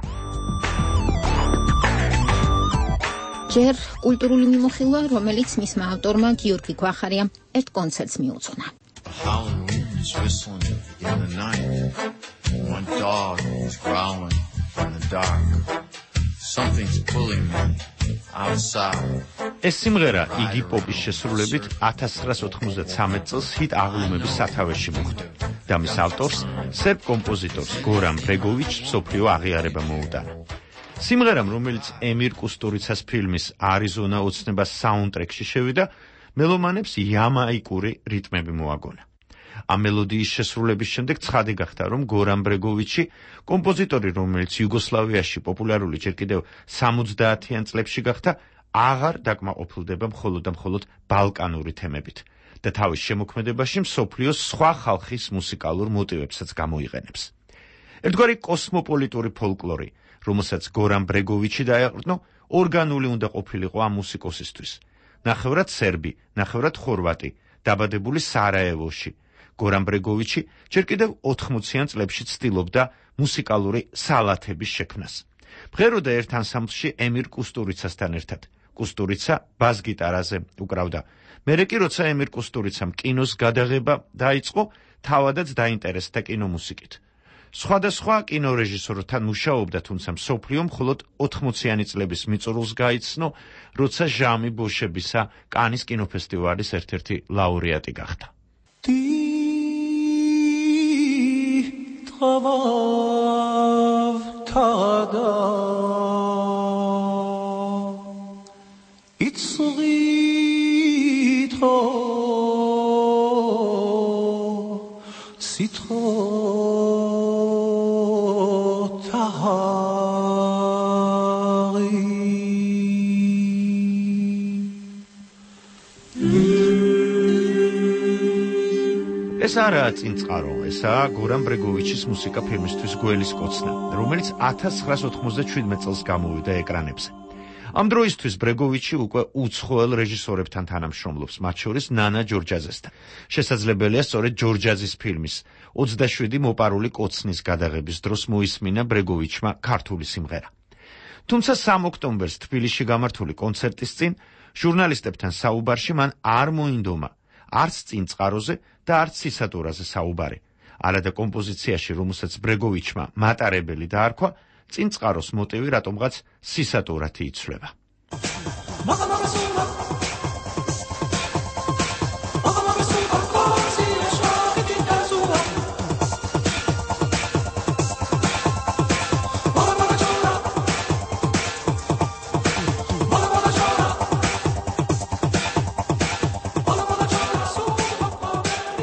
ჯერ კულტურული მიმოხილვა, რომელიც მისმა ავტორმა გიორგი გვახარიამ ერთ კონცერტს მიუძღვნა. ეს სიმღერა იგი პოპის შესრულებით ათას ცხრაას ოთხმოცდათსამეტ წელს ჰიტ აღლუმების სათავეში მოხვდა და მის ავტორს, სერბ კომპოზიტორს გორან ბრეგოვიჩს მსოფლიო აღიარება მოუტანა. სიმღერამ, რომელიც ემირ კუსტურიცას ფილმის არიზონა ოცნებას საუნდტრეკში შევიდა, მელომანებს იამაიკური რიტმები მოაგონა. ამ მელოდიის შესრულების შემდეგ ცხადი გახდა, რომ გორან ბრეგოვიჩი, კომპოზიტორი, რომელიც იუგოსლავიაში პოპულარული ჯერ კიდევ სამოცდაათიან წლებში გახდა, აღარ დაკმაყოფილდება მხოლოდ და მხოლოდ ბალკანური თემებით და თავის შემოქმედებაში მსოფლიოს სხვა ხალხის მუსიკალურ მოტივებსაც გამოიყენებს. ერთგვარი კოსმოპოლიტური ფოლკლორი, რომელსაც გორან ბრეგოვიჩი დაეყრდნო, ორგანული უნდა ყოფილიყო ამ მუსიკოსისთვის. ნახევრად სერბი, ნახევრად ხორვატი, დაბადებული სარაევოში. გორან ბრეგოვიჩი ჯერ კიდევ ოთხმოციან წლებში ცდილობდა მუსიკალური სალათების შექმნას. მღეროდა ერთ ანსამბლში ემირ კუსტურიცასთან ერთად. კუსტურიცა ბას-გიტარაზე უკრავდა. მერე კი როცა ემირ კუსტურიცამ კინოს გადაღება დაიწყო, თავადაც დაინტერესდა კინომუსიკით. სხვადასხვა კინორეჟისორთან მუშაობდა, თუმცა მსოფლიო მხოლოდ ოთხმოციანი წლების მიწურულს გაიცნო, როცა ჟამი ბოშებისა კანის კინოფესტივალის ერთ-ერთი ლაურეატი გახდა. ეს არაა წინწყარო, ესაა გორან ბრეგოვიჩის მუსიკა ფილმისთვის გველის კოცნა, რომელიც ათას ცხრაას ოთხმოცდაშვიდმეტ წელს გამოვიდა ეკრანებზე. ამ დროისთვის ბრეგოვიჩი უკვე უცხოელ რეჟისორებთან თანამშრომლობს, მათ შორის ნანა ჯორჯაძესთან. შესაძლებელია სწორედ ჯორჯაძის ფილმის ოცდაშვიდი მოპარული კოცნის გადაღების დროს მოისმინა ბრეგოვიჩმა ქართული სიმღერა. თუმცა სამ ოქტომბერს თბილისში გამართული კონცერტის წინ ჟურნალისტებთან საუბარში მან არ მოინდომა არც წინწყაროზე და არც სისატურაზე საუბარი. არადა კომპოზიციაში, რომელსაც ბრეგოვიჩმა მატარებელი დაარქვა, წინწყაროს მოტივი რატომღაც სისატურათი იცვლება.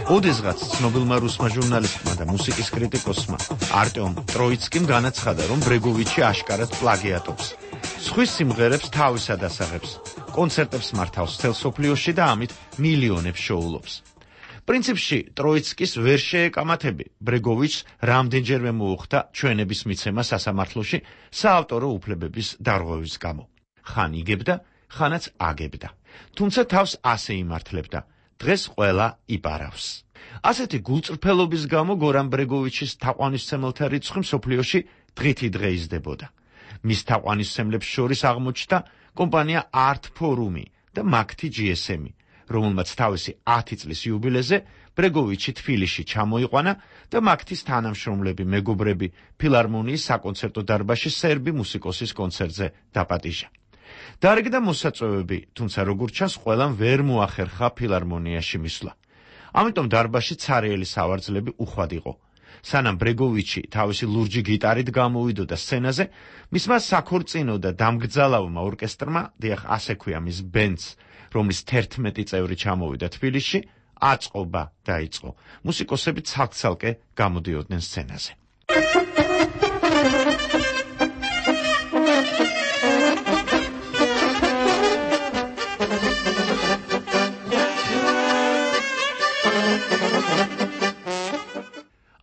ოდესღაც ცნობილმა რუსმა ჟურნალისტმა და მუსიკის კრიტიკოსმა არტემ ტროიცკიმ განაცხადა, რომ ბრეგოვიჩი აშკარად პლაგიატობს. სხვის სიმღერებს თავისად ასაღებს, კონცერტებს მართავს მთელ სოფლიოში და ამით მილიონებს შოულობს. პრინციპში ტროიცკის ვერ შეეკამათები ბრეგოვიჩს რამდენჯერმე მოუხდა ჩვენების მიცემა სასამართლოში საავტორო უფლებების დარღვევის გამო. ხან იგებდა, ხანაც აგებდა. თუმცა თავს ასე იმართლებდა. დღეს ყველა იპარავს. ასეთი გულწრფელობის გამო გორან ბრეგოვიჩის თაყვანისმცემელთა რიცხვი მსოფლიოში დღითი დღე იზრდებოდა. მის თაყვანისმცემლებს შორის აღმოჩნდა კომპანია Art Forum და Makti ჯი ეს ემი, რომელმაც თავისი ათი წლის იუბილეზე ბრეგოვიჩი თბილისში ჩამოიყვანა და Makti-ს თანამშრომლები, მეგობრები ფილარმონიის საკონცერტო დარბაზში სერბი მუსიკოსის კონცერტზე დაპატიჟა. დარიგდა მოსაწვევები, თუმცა როგორც ჩანს, ყველამ ვერ მოახერხა ფილარმონიაში მისვლა. ამიტომ დარბაზში ცარიელი სავარძლები უხვად იყო. სანამ ბრეგოვიჩი თავისი ლურჯი გიტარით გამოვიდოდა სცენაზე, მისმა საქორწინო და დამგძალავმა ორკესტრმა, დიახ, ასე ქვია მის ბენდს, რომლის თერთმეტი წევრი ჩამოვიდა თბილისში, აწყობა დაიწყო. მუსიკოსები ცალკ-ცალკე გამოდიოდნენ სცენაზე.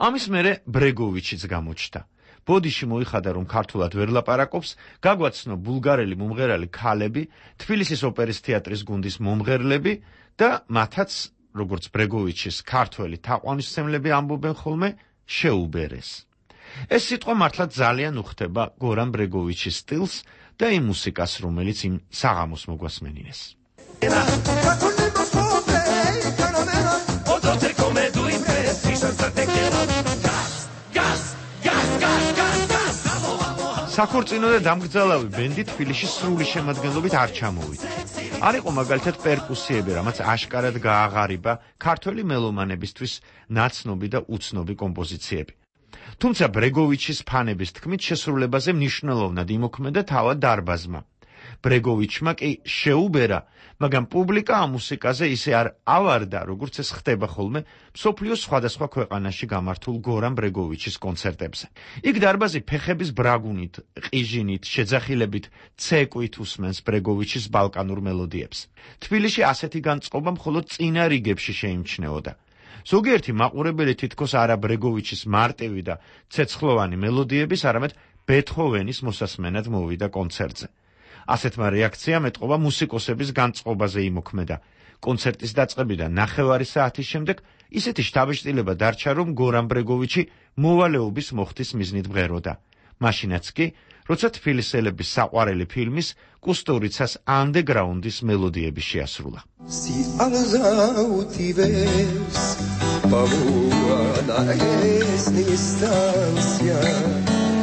ამის მერე ბრეგოვიჩიც გამოჩნდა. ბოდიში მოიხადა, რომ ქართულად ვერ ლაპარაკობს, გაგვაცნო ბულგარელი მომღერალი ქალები, თბილისის ოპერის თეატრის გუნდის მომღერლები და მათაც, როგორც ბრეგოვიჩის ქართველი თაყვანისმცემლები ამბობენ ხოლმე, შეუბერეს. ეს სიტყვა მართლა ძალიან უხდება გორან ბრეგოვიჩის სტილს და იმ მუსიკას, რომელიც იმ საღამოს მოგვასმენინეს. საქორწინო და დამგძალავი ბენდი თბილისში სრული შემადგენლობით არ ჩამოვიდა. არ იყო მაგალითად პერკუსიები, რამაც აშკარად გააღარიბა ქართველი მელომანებისთვის ნაცნობი და უცნობი კომპოზიციები. თუმცა ბრეგოვიჩის ფანების თქმით შესრულებაზე მნიშვნელოვნად იმოქმედა თავად დარბაზმა. ბრეგოვიჩმა კი შეუბერა, მაგრამ პუბლიკა ამ მუსიკაზე ისე არ ავარდა, როგორც ეს ხდება ხოლმე მსოფლიოს სხვადასხვა ქვეყანაში გამართულ გორან ბრეგოვიჩის კონცერტებზე. იქ დარბაზი ფეხების ბრაგუნით, ყიჟინით, შეძახილებით, ცეკვით უსმენს ბრეგოვიჩის ბალკანურ მელოდიებს. თბილისში ასეთი განწყობა მხოლოდ წინა რიგებში შეიმჩნეოდა. ზოგიერთი მაყურებელი თითქოს არა ბრეგოვიჩის მარტივი და ცეცხლოვანი მელოდიების, არამედ ბეთჰოვენის მოსასმენად მოვიდა კონცერტზე. ასეთმა რეაქციამ ეტყობა მუსიკოსების განწყობაზე იმოქმედა. კონცერტის დაწყებიდან ნახევარი საათის შემდეგ ისეთი შთაბეჭდილება დარჩა, რომ გორან ბრეგოვიჩი მოვალეობის მოხდის მიზნით მღეროდა. მაშინაც კი, როცა თბილისელების საყვარელი ფილმის კუსტურიცას ანდეგრაუნდის მელოდიები შეასრულა.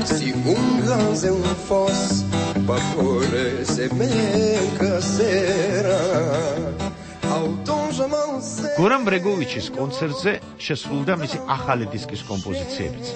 Si un ganze un fos Bafore se menca sera გორან ბრეგოვიჩის კონცერტზე შესრულდა მისი ახალი დისკის კომპოზიციებიც.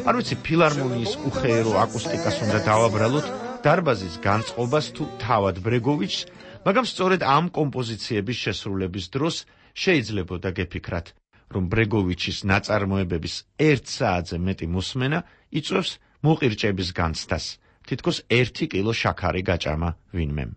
არ ვიცი ფილარმონიის უხეირო აკუსტიკას უნდა დავაბრალოთ დარბაზის განწყობას თუ თავად ბრეგოვიჩს, მაგრამ სწორედ ამ კომპოზიციების შესრულების დროს შეიძლებოდა გეფიქრათ, რომ ბრეგოვიჩის ნაწარმოებების ერთ საათზე მეტი მოსმენა იწვევს მოყირჭების განცდას, თითქოს ერთი კილო შაქარი გაჭამა ვინმემ.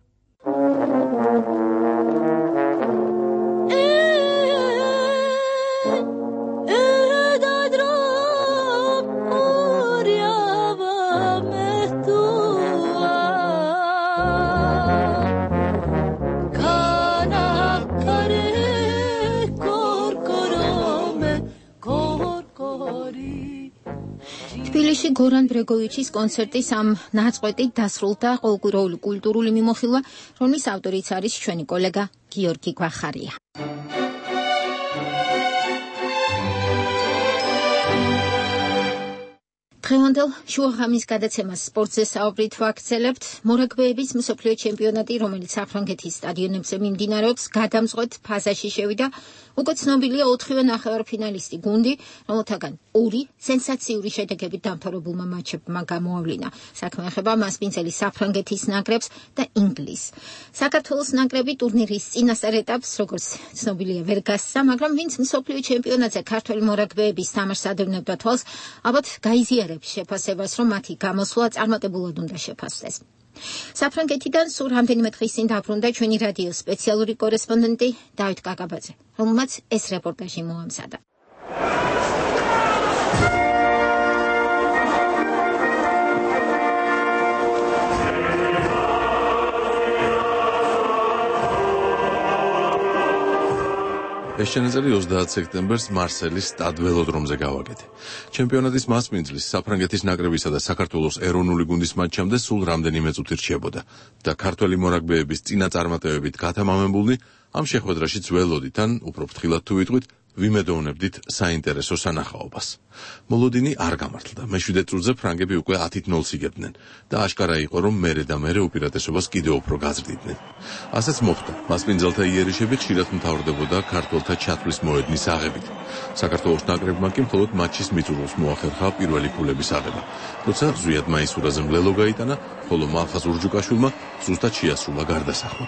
თბილისში გორან ბრეგოვიჩის კონცერტის ამ ნაწყვეტით დასრულდა ყოველკვირეული კულტურული მიმოხილვა, რომლის ავტორიც არის ჩვენი კოლეგა გიორგი გვახარია. დღევანდელ შუაღამის გადაცემას სპორტზე საუბრით ვაგრძელებთ. მორაგბეების მსოფლიო ჩემპიონატი, რომელიც საფრანგეთის სტადიონებზე მიმდინარეობს, გადამწყვეტ ფაზაში შევიდა. უკვე ცნობილია ოთხივე ნახევარფინალისტი გუნდი, რომელთაგან ორი სენსაციური შედეგებით დამთავრებულმა მატჩებმა გამოავლინა. საქმე ეხება მასპინძელი საფრანგეთის ნაკრებს და ინგლისს. საქართველოს ნაკრები ტურნირის წინასწარ ეტაპს, როგორც ცნობილია, ვერ გასცა, მაგრამ ვინც მსოფლიო ჩემპიონატზე ქართველი მორაგბეების თამაშს ადევნებდა თვალს, ალბათ გაიზიარებს შეფასებას, რომ მათი გამოსვლა წარმატებულად უნდა შეფასდეს. საფრანგეთიდან სულ რამდენიმე დღის წინ დაბრუნდა ჩვენი რადიოს სპეციალური კორესპონდენტი დავით კაკაბაძე, რომელმაც ეს რეპორტაჟი მოამზადა. ეს შენაძენი ოცდაათ სექტემბერს მარსელის სტად ველოდრომზე გავაკეთე. ჩემპიონატის მასპინძლის საფრანგეთის ნაკრებისა და საქართველოს ეროვნული გუნდის მატჩამდე სულ რამდენიმე წუთი რჩებოდა და ქართველი მორაგბეების წინა წარმატებებით გათამამებულნი ამ შეხვედრაშიც ველოდით, ან უფრო ფრთხილად თუ ვიტყვით, ვიმედოვნებდით საინტერესო სანახაობას. მოლოდინი არ გამართლდა. მეშვიდე წუთზე ფრანგები უკვე ათით ნოლს იგებდნენ და აშკარა იყო, რომ მერე და მერე უპირატესობას კიდევ უფრო გაზრდიდნენ. ასეც მოხდა. მასპინძელთა იერიშები ხშირად მთავრდებოდა ქართველთა ჩათვლის მოედნის აღებით. საქართველოს ნაკრებმა კი მხოლოდ მატჩის მიწურულს მოახერხა პირველი ქულების აღება. როცა ზვიად მაისურაძე მლელო გაიტანა, ხოლო მალხაზ ურჯუკაშვილმა ზუსტად შეასრულა გარდასახმა.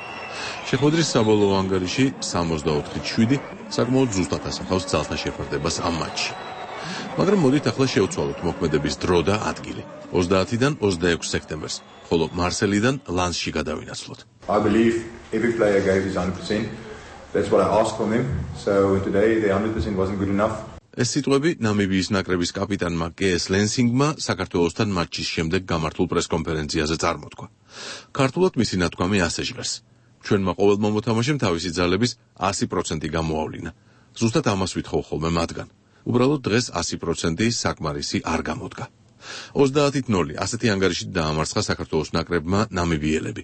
შეხვედრის საბოლოო ანგარიში სამოცდაოთხით შვიდი საკმაოდ ზუსტად ასახავს ძალთა შეფარდებას ამ მატჩში. მაგრამ მოდით ახლა შევცვალოთ მოქმედების დრო და ადგილი. ოცდაათიდან ოცდაექვსი სექტემბერს, ხოლო მარსელიდან ლანსში გადავინაცვლოთ. I believe every player gave his one hundred percent. That's what I asked from them. So today the one hundred percent wasn't good enough. ეს სიტყვები ნამიბიის ნაკრების კაპიტანმა კეეს ლენსინგმა საქართველოსთან მატჩის შემდეგ გამართულ პრესკონფერენციაზე წარმოთქვა. ქართულად მისი ნათქვამი ასე ჟღერს: ჩვენმა ყოველმა მოთამაშემ თავისი ძალების ასი პროცენტი გამოავლინა. ზუსტად ამას ვითხოვ ხოლმე მათგან. უბრალოდ დღეს ასი პროცენტი საკმარისი არ გამოდგა. ოცდაათით ნოლი ასეთი ანგარიშით დაამარცხა საქართველოს ნაკრებმა ნამიბიელები.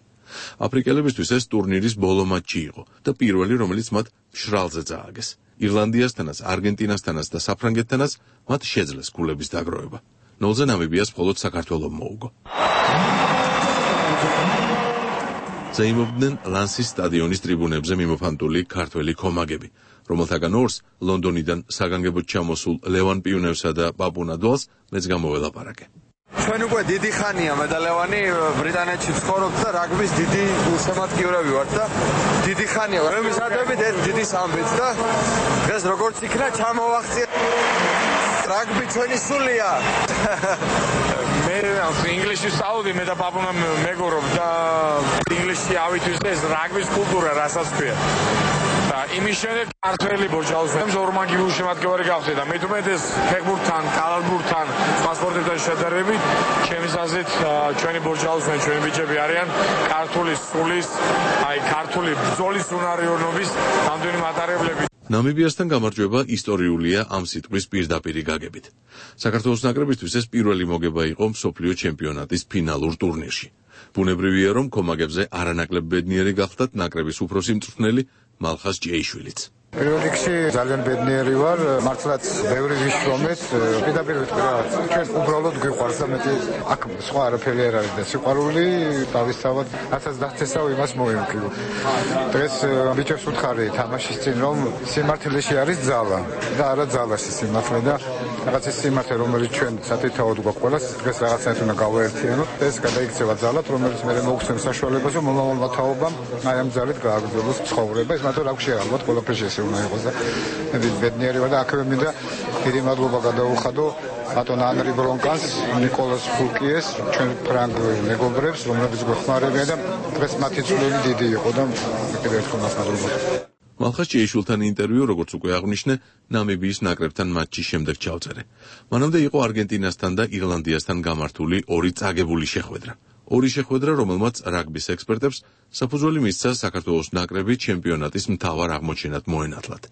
აფრიკელებისთვის ეს ტურნირის ბოლო მატჩი იყო და პირველი, რომელიც მათ მშრალზე წააგეს. ირლანდიასთანაც, არგენტინასთანაც და საფრანგეთთანაც მათ შეძლეს ქულების დაგროვება. ნოლზე ნამიბიას მხოლოდ საქართველომ მოუგო. ზეიმობდნენ ლანსის სტადიონის ტრიბუნებზე მიმოფანტული ქართველი კომაგები, რომელთაგან ორს ლონდონიდან საგანგებოდ ჩამოსულ ლევან პიუნევსა და პაპუნა დვალს მეც გამოველაპარაკე. ჩვენ უკვე დიდი ხანია მე და ლევანი ბრიტანეთში ვცხოვრობთ და რაგბის დიდი გულშემატკივრები ვართ და დიდი ხანია რომ ვისადებით ერთ დიდი ამბეთს და დღეს როგორც იქნა ჩამოვახციე რაგბი ჩვენი სულია. მე ინგლისში ვსწავლობდი, მე და პაპუნა მეგობრობ და ინგლისში ავითვისე ეს რაგბის კულტურა რასაც ქვია. და იმის შემდეგ ქართველი ბოჯალოს ორმაგი გულშემატკივარი გავხდი და მეტუმეტეს ფეხბურთთან, კალათბურთთან, სხვა სპორტებთან შედარებით, ჩემს აზრით ჩვენი ბოჯალოსნი, ჩვენი ბიჭები არიან ქართული სულის, აი ქართული ბრძოლის უნარიანობის გამდენი მატარებლები. ნამიბიასთან გამარჯვება ისტორიულია ამ სიტყვის პირდაპირი გაგებით. საქართველოს ნაკრებისთვის ეს პირველი მოგება იყო მსოფლიო ჩემპიონატის ფინალურ ტურნირში. ბუნებრივია, რომ კომაგებზე არანაკლებ ბედნიერი გახდათ ნაკრების უფროსი მწვრთნელი მალხაზ ჭეიშვილიც. პირველ რიგში ძალიან ბედნიერი ვარ, მართლაც ბევრი ვიშრომეთ, პირდაპირ ვიტყვი რა, ჩვენ უბრალოდ გვიყვარს და მეტი აქ სხვა არაფერი არ არის და სიყვარული თავისთავად რასაც დახცესავ იმას მოემკლიო. დღეს ბიჭებს უთხარი თამაშის წინ რომ სიმართლეში არის ძალა და არა ძალაში სიმართლე და რაღაც ეს სიმართლე რომელიც ჩვენ სათითაოდ გვაქვს ყველას დღეს რაღაცნაირად უნდა გავაერთიანოთ და ეს გადაიქცევა ძალად რომელიც მე მოგცემს საშუალებას რომ მომავალ თაობამ აი ამ ძალით გააგრძელოს ცხოვრება ეს მათო რა გვშია ალბათ ყველაფერში ეს უნდა იყოს და მე ბედნიერი ვარ და აქვე მინდა დიდი მადლობა გადაუხადო ბატონ ანრი ბრონკანს, ნიკოლას ფულკიეს, ჩვენ ფრანგ მეგობრებს, რომლებიც გვეხმარებიან და დღეს მათი წვლილი დიდი იყო და კიდევ ერთხელ მადლობა. მალხაზ ჭეიშვილთან ინტერვიუ, როგორც უკვე აღვნიშნე, ნამიბიის ნაკრებთან მატჩის შემდეგ ჩავწერე. მანამდე იყო არგენტინასთან და ირლანდიასთან გამართული ორი წაგებული შეხვედრა. ორი შეხვედრა, რომელმაც რაგბის ექსპერტებს საფუძველი მისცა საქართველოს ნაკრები ჩემპიონატის მთავარ აღმოჩენად მოენათლათ.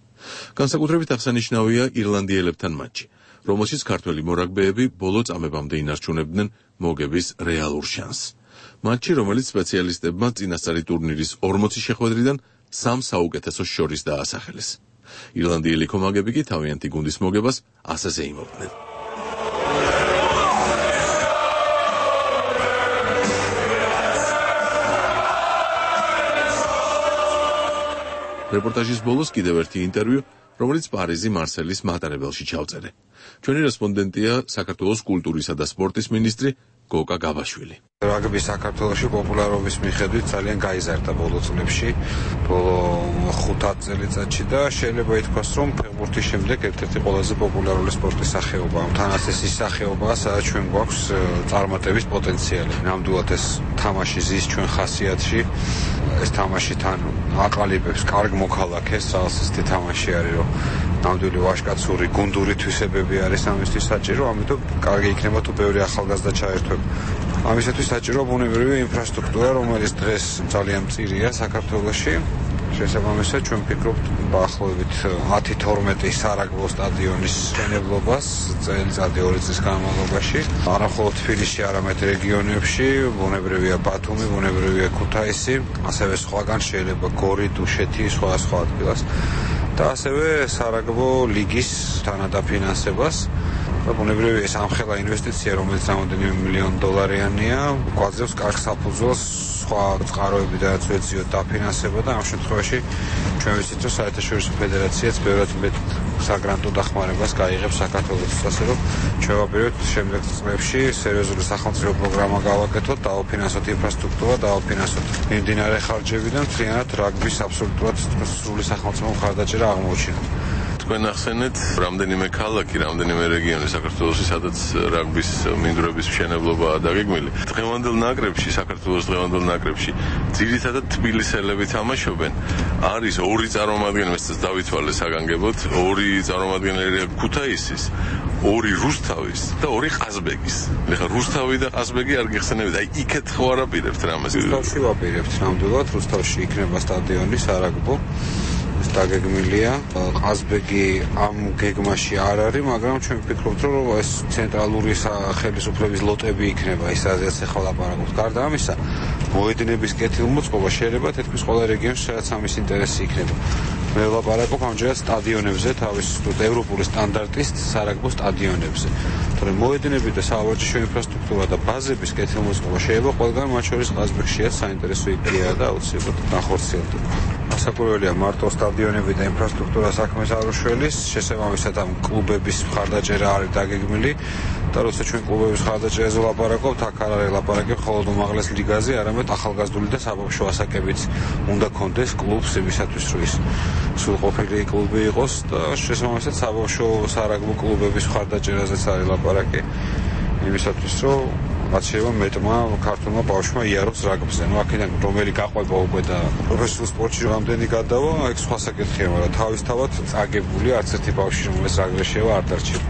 განსაკუთრებით აღსანიშნავია ირლანდიელებთან მატჩი, რომელშიც ქართველი მორაგბეები ბოლო წამებამდე ინარჩუნებდნენ მოგების რეალურ შანსს. მატჩი, რომელიც სპეციალისტებმა წინასწარი ტურნირის ორმოცი შეხვედრიდან სამ საუკეთესოს შორის დაასახელეს. ირლანდიელი კომაგები კი თავიანთი გუნდის მოგებას ასე ზეიმობდნენ. რეპორტაჟის ბოლოს კიდევ ერთი ინტერვიუ, რომელიც პარიზი მარსელის მატარებელში ჩავწერე. ჩვენი რესპონდენტია საქართველოს კულტურისა და სპორტის მინისტრი გოკა გაბაშვილი. რაგბი საქართველოში პოპულარობის მიხედვით ძალიან გაიზარდა ბოლო წლებში, ბოლო ხუთ ათ წელიწადში და შეიძლება ითქვას, რომ ფეხბურთის შემდეგ ერთ-ერთი ყველაზე პოპულარული სპორტის სახეობაა. თანაც ეს ის სახეობაა, სადაც ჩვენ გვაქვს წარმატების პოტენციალი. ნამდვილად ეს თამაში ზის ჩვენ ხასიათში, ეს თამაში თან აყალიბებს კარგ მოქალაქეს, რაღაც ისეთი თამაში არის, რომ ნამდვილი ვაჟკაცური გუნდური თვისებები არის ამისთვის საჭირო, ამიტომ კარგი იქნება თუ ბევრი ახალგაზრდა ჩაერთვება. ამისათვის საჭირო ბუნებრივი ინფრასტრუქტურა, რომელიც დღეს ძალიან მწირია საქართველოში. შესაბამისად, ჩვენ ვფიქრობთ დაახლოებით ათი თორმეტი სარაგბო სტადიონის მშენებლობას წელიწადი ორი წლის განმავლობაში. არა მხოლოდ თბილისში, არამედ რეგიონებში, ბუნებრივია ბათუმი, ბუნებრივია ქუთაისი, ასევე სხვაგან შეიძლება გორი, დუშეთი, სხვა სხვა ადგილას. და ასევე სარაგბო ლიგის თანადაფინანსებას. და ბუნებრივია ეს ამხელა ინვესტიცია, რომელიც რამდენიმე მილიონ დოლარიანია, გვაძლევს კარგ საფუძველს სხვა წყაროები და ძვეციო დაფინანსება და ამ შემთხვევაში ჩვენ ვიცით, რომ საერთაშორისო ფედერაციაც ბევრად მეტ საგრანტო დახმარებას გაიღებს საქართველოს, ასე რომ ჩვენ ვაპირებთ შემდეგ წლებში სერიოზული სახელმწიფო პროგრამა გავაკეთოთ, დაუფინანსოთ ინფრასტრუქტურა, დაუფინანსოთ მიმდინარე ხარჯები და მთლიანად რაგბის აბსოლუტურად სრული სახელმწიფო მხარდაჭერა აღმოუჩინოთ. თქვენ ახსენეთ რამდენიმე ქალაქი, რამდენიმე რეგიონი საქართველოში, სადაც რაგბის მინდვრების მშენებლობაა დაგეგმილი. დღევანდელ ნაკრებში, საქართველოს დღევანდელ ნაკრებში ძირითადად თბილისელები თამაშობენ. არის ორი წარმომადგენელი, მეც დავითვალე საგანგებოდ, ორი წარმომადგენელი ქუთაისის, ორი რუსთავის და ორი ყაზბეგის. ეხლა რუსთავი და ყაზბეგი არ გიხსენებთ, აი იქეთ ხო არ აპირებთ რამეს? რუსთავში ვაპირებთ ნამდვილად, რუსთავში იქნება სტადიონი სარაგბო. დაგეგმილია. ყაზბეგი ამ გეგმაში არ არის, მაგრამ ჩვენ ვფიქრობთ, რომ ეს ცენტრალური ხელისუფლების ლოტები იქნება, ის რაზეც ახლა ლაპარაკობთ. გარდა ამისა, მოედნების კეთილმოწყობა შეიძლება თითქმის ყველა რეგიონში, სადაც ამის ინტერესი იქნება. მე ვლაპარაკობ ამჯერად სტადიონებზე, თავის ევროპული სტანდარტის სარაგბო სტადიონებზე. თორემ მოედნები და სავარჯიშო ინფრასტრუქტურა და ბაზების კეთილმოწყობა შეიძლება ყველგან, მათ შორის ყაზბეგშიაც საინტერესო იდეაა და აუცილებლად განხორციელდება. ასაკურველია მარტო სტადიონები და ინფრასტრუქტურა საქმეს არ უშველის, შესაბამისად ამ კლუბების მხარდაჭერა არის დაგეგმილი და როცა ჩვენ კლუბების მხარდაჭერაზე ლაპარაკობთ, აქ არ არის ლაპარაკი მხოლოდ უმაღლეს ლიგაზე, არამედ ახალგაზრდული და საბავშვო ასაკებიც უნდა კონდეს კლუბს იმისათვის, რომ ის სრულყოფილი კლუბი იყოს და შესაბამისად საბავშვო სარაგბო კლუბების მხარდაჭერაზეც არის ლაპარაკი იმისათვის, რომ რაც შეიძლება მეტმა ქართულმა ბავშვმა იაროს რაგბზე. ნუ აქედან რომელი გაყვება უკვე და პროფესიულ სპორტში რამდენი გადავა, ეგ სხვა საკითხია, მაგრამ თავისთავად წაგებული არც ერთი ბავშვი რომელსაც რაგბზე შევა არ დარჩება.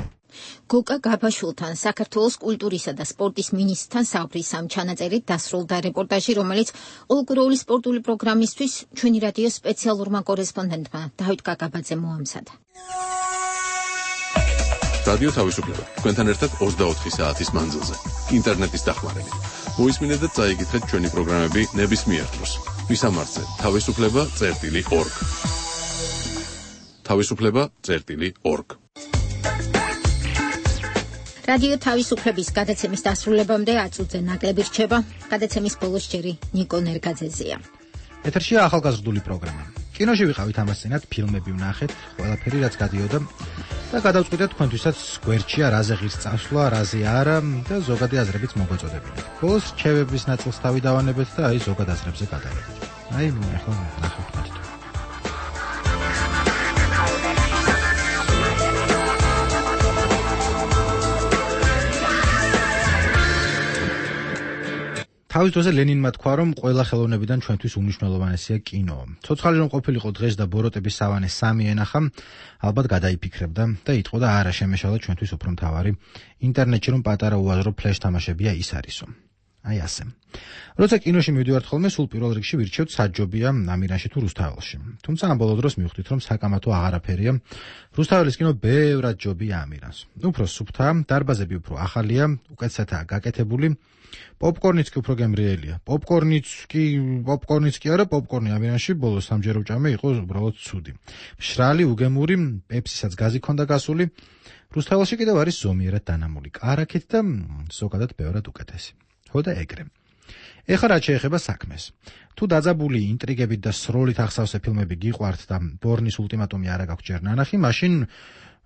გოკა გაბაშულთან საქართველოს კულტურისა და სპორტის მინისტრთან საუბრის ამ ჩანაწერით დასრულდა რეპორტაჟი, რომელიც ყოველკვირეული სპორტული პროგრამისთვის ჩვენი რადიოს სპეციალურმა კორესპონდენტმა დავით გაგაბაძემ მოამზადა. რადიო თავისუფლება თქვენთან ერთად ოცდაოთხი საათის მანძილზე ინტერნეტის დახმარებით. მოისმინეთ და წაიკითხეთ ჩვენი პროგრამები ნებისმიერ დროს. მისამართზე თავისუფლება წერტილი ორგ. თავისუფლება წერტილი ორგ. რადიო თავისუფლების გადაცემის დასრულებამდე აწუძე ნაკლები რჩება. გადაცემის ბოლოს ჯერი ნიკო ნერგაძეზეა. ეთერშია ახალგაზრდული პროგრამა. კინოში ვიყავით ამას წინათ, ფილმები ვნახეთ, ყველაფერი რაც გადიოდა და გადავწყვიტეთ თქვენთვისაც გვერდშია რაზე ღირს წასვლა, რაზე არა და ზოგადი აზრებიც მოგეწოდებინათ. ბოლოს რჩევების ნაწილს თავი დავანებეთ და აი ზოგად აზრებზე გადავიდეთ. აი ახლა ნახავთ თქვენ. თავის დროზე ლენინმა თქვა, რომ ყველა ხელოვნებიდან ჩვენთვის უმნიშვნელოვანესია კინო. ცოცხალი რომ ყოფილიყო დღეს და ბოროტების სავანე სამი ენახა, ალბათ გადაიფიქრებდა და იტყოდა არა შემეშალა ჩვენთვის უფრო მთავარი ინტერნეტში რომ პატარა უაზრო ფლეშ თამაშებია ის არისო. აი ასე. როცა კინოში მივდივართ ხოლმე, სულ პირველ რიგში ვირჩევთ საჯობია ამირანში თუ რუსთაველში. თუმცა ამ ბოლო დროს მივხვდით, რომ საკამათო აღარაფერია. რუსთაველის კინო ბევრად ჯობია ამირანს. უფრო სუფთაა, დარბაზები უფრო ახალია, უკეთესადაა გაკეთებული. პოპკორნიც კი უფრო გემრიელია. პოპკორნიც კი, პოპკორნიც კი არა, პოპკორნი ამირანში ბოლოს სამჯერ უჭამე იყო უბრალოდ ცუდი. მშრალი, უგემური, პეპსისაც გაზი ქონდა გასული. რუსთაველში კიდევ არის ზომიერად დანამული კარაქით და ზოგადად ბევრად უკეთესი. ხო და ეგრე. ეხლა რაც შეეხება საქმეს. თუ დაძაბული ინტრიგებით და სროლით ახსავსე ფილმები გიყვართ და ბორნის ულტიმატუმი არ აქვს ჯერ ნანახი, მაშინ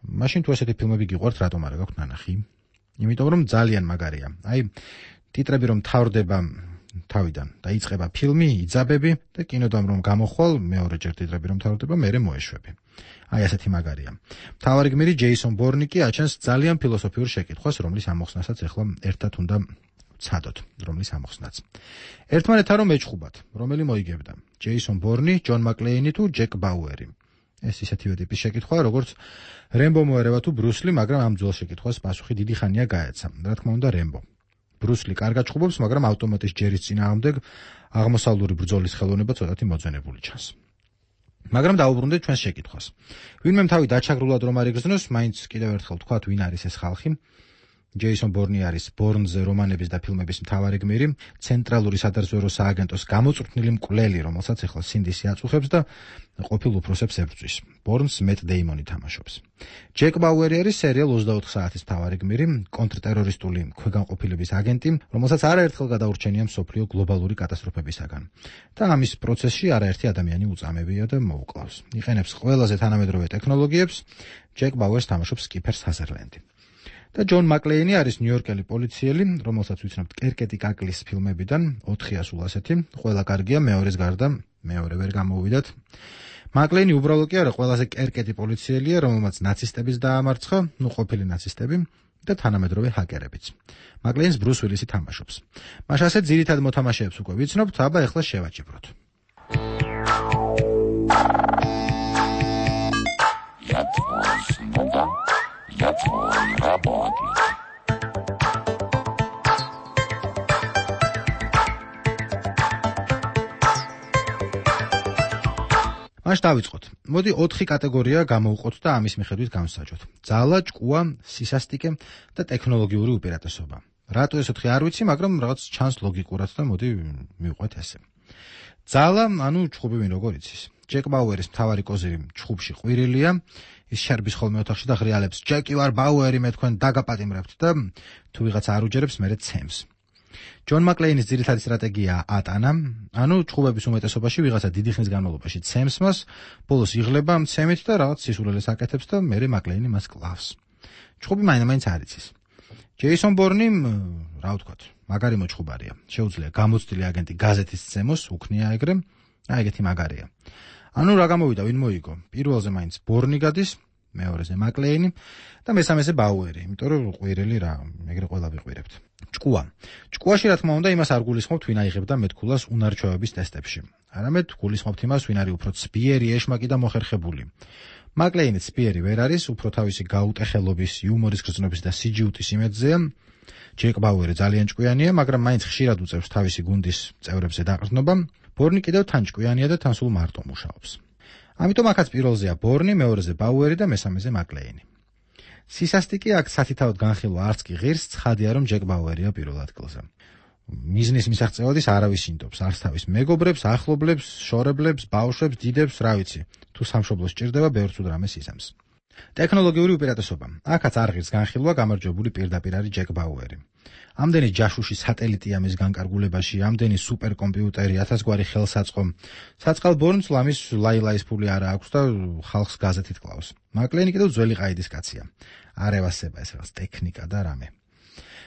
მაშინ თუ ესეთი ფილმები გიყვართ, რატომ არ აქვს ნანახი? იმიტომ რომ ძალიან მაგარია. აი ტიტრები რომ თავდება თავიდან და იწყება ფილმი, იძაბები და კინოდამ რომ გამოხვალ, მეორეჯერ ტიტრები რომ თავდება, მერე მოეშვები. აი ასეთი მაგარია. მთავარი გმირი ჯეისონ ბორნი კი აჩენს ძალიან ფილოსოფიურ შეკითხვას, რომლის ამოხსნასაც ახლა ერთად უნდა ვცადოთ, რომლის ამოხსნაც. ერთმანეთთან რომ ეჭხუბათ, რომელი მოიგებდა? ჯეისონ ბორნი, ჯონ მაკლეინი თუ ჯეკ ბაუერი? ეს ისეთივე ტიპის შეკითხვა, როგორც რემბო მოერევა თუ ბრუსლი, მაგრამ ამ ძველ შეკითხვას პასუხი დიდი ხანია გაეცა. რა თქმა უნდა, რემბო. ბრუსლი კარგად ჭხუბობს, მაგრამ ავტომატის ჯერის წინააღმდეგ აღმოსავლური ბრძოლის ხელოვნება ცოტათი მოძენებული ჩანს. მაგრამ დაუბრუნდეთ ჩვენს შეკითხვას. ვინმე თავი დაჩაგრულად რომ არ იგრძნოს, მაინც კიდევ ერთხელ ვთქვათ, ვინ არის ეს ხალხი? ჯეისონ ბორნი არის ბორნზე რომანების და ფილმების მთავარი გმირი, ცენტრალური სადაზვერვო სააგენტოს გამოწვრთნილი მკვლელი, რომელსაც ახლა სინდისი აწუხებს და ყოფილ უფროსებს ებრძვის. ბორნს მეტ დეიმონი თამაშობს. ჯეკ ბაუერი არის სერიალ ოცდაოთხ საათის მთავარი გმირი, კონტრტერორისტული ქვეგანყოფილების აგენტი, რომელსაც არაერთხელ გადაურჩენია მსოფლიო გლობალური კატასტროფებისაგან. და ამის პროცესში არაერთი ადამიანი უწამებია და მოუკლავს. იყენებს ყველაზე თანამედროვე ტექნოლოგიებს, ჯეკ ბაუერს თამაშობს კიფერ საზერლენდი. და ჯონ მაკლეინი არის ნიუ-იორკელი პოლიციელი, რომელსაც ვიცნობთ კერკეტი კაკლის ფილმებიდან, ოთხი ასულ ასეთი, ყველა კარგია, მეორეს გარდა მეორე ვერ გამოვიდათ. მაკლეინი უბრალოდ კი არა, ყველაზე კერკეტი პოლიციელია, რომელმაც ნაცისტების დაამარცხა, ნუ ყოფილი ნაცისტები და თანამედროვე ჰაკერებიც. მაკლეინს ბრუს უილისი თამაშობს. მას ასე ძირითად მოთამაშეებს უკვე ვიცნობთ, აბა ეხლა შევაჭიბროთ. Я твой работник. მაშ დავიწყოთ. მოდი ოთხი კატეგორია გამოვყოთ და ამის მიხედვით გავსაჯოთ. ძალა, ჭკუა, სისასტიკე და ტექნოლოგიური უპირატესობა. რატო ეს ოთხი არ ვიცი, მაგრამ რაღაც ჩანს ლოგიკურად და მოდი მივყვეთ ესე. ძალა, ანუ ჭხუბი ვინ როგორ იცის. ჯეკ ბაუერის მთავარი კოზირი ჭხუბში ყვირილია. ის შარბის ხოლმე ოთახში და ღრიალებს ჯეკი ვარ ბაუერი მე თქვენ დაგაპატიმრებთ და თუ ვიღაც არ უჯერებს მერე ცემს. ჯონ მაკლეინის ძირითადი სტრატეგია ატანა, ანუ ჭხუბების უმეტესობაში ვიღაცა დიდი ხნის განმავლობაში ცემს მას, ბოლოს იღლება მცემით და რაღაც სისულელეს აკეთებს და მერე მაკლეინი მას კლავს. ჭხუბი მაინც არ იცის. ჯეისონ ბორნი, რა ვთქვათ, მაგარი მოჭხუბარია. შეუძლია გამოცდილი აგენტი გაზეთის ცემოს, უქნია ეგრე, აი ეგეთი მაგარია. ანუ რა გამოვიდა, ვინ მოიგო? პირველზე მაინც ბორნი გადის, მეორეზე მაკლეინი და მესამეზე ბაუერი, იმიტომ რომ ყვირელი რა, ეგრე ყველა ვიყვირებთ. ჭკუა. ჭკუაში რა თქმა უნდა იმას არ გულისხმობთ, ვინ აიღებდა მეთქულას უნარჩვევების ტესტებში. არამედ გულისხმობთ იმას, ვინ არის უფრო ცბიერი, ეშმაკი და მოხერხებული. მაკლეინი ცბიერი ვერ არის, უფრო თავისი გაუტეხელობის, იუმორის გრძნობის და სიჯიუტის იმედზეა. ჯეკ ბაუერი ძალიან ჭკვიანია, მაგრამ მაინც ხშირად უწევს თავისი გუნდის წევრებზე დაყრდნობა. ბორნი კიდევ თან ჭკვიანია და თან სულ მარტო მუშაობს. ამიტომ აქაც პირველზეა ბორნი, მეორეზე ბაუერი და მესამეზე მაკლეინი. სისასტიკე აქ სათითაოდ განხილვა არც კი ღირს, ცხადია რომ ჯეკ ბაუერია პირველ ადგილზე. მიზნის მისაღწევად ის არავის ინდობს, არც თავის მეგობრებს, ახლობლებს, შორებლებს, ბავშვებს, დიდებს, რა ვიცი. თუ სამშობლოს სჭირდება, ბევრს უდრამეს იზამს. ტექნოლოგიური უპირატესობა. აქაც არ ღირს განხილვა, გამარჯვებული პირდაპირ არის ჯეკ ბაუერი. ამდენი ჯაშუში სატელიტია მის განკარგულებაში, ამდენი სუპერკომპიუტერი, ათასგვარი ხელსაწყო. საწყალ ბორნს ლამის ლაილაის ფული არ აქვს და ხალხს გაზეთით კლავს. მაკლეინი კიდევ ძველი ყაიდის კაცია. არ ევასება ეს რაღაც ტექნიკა და რამე.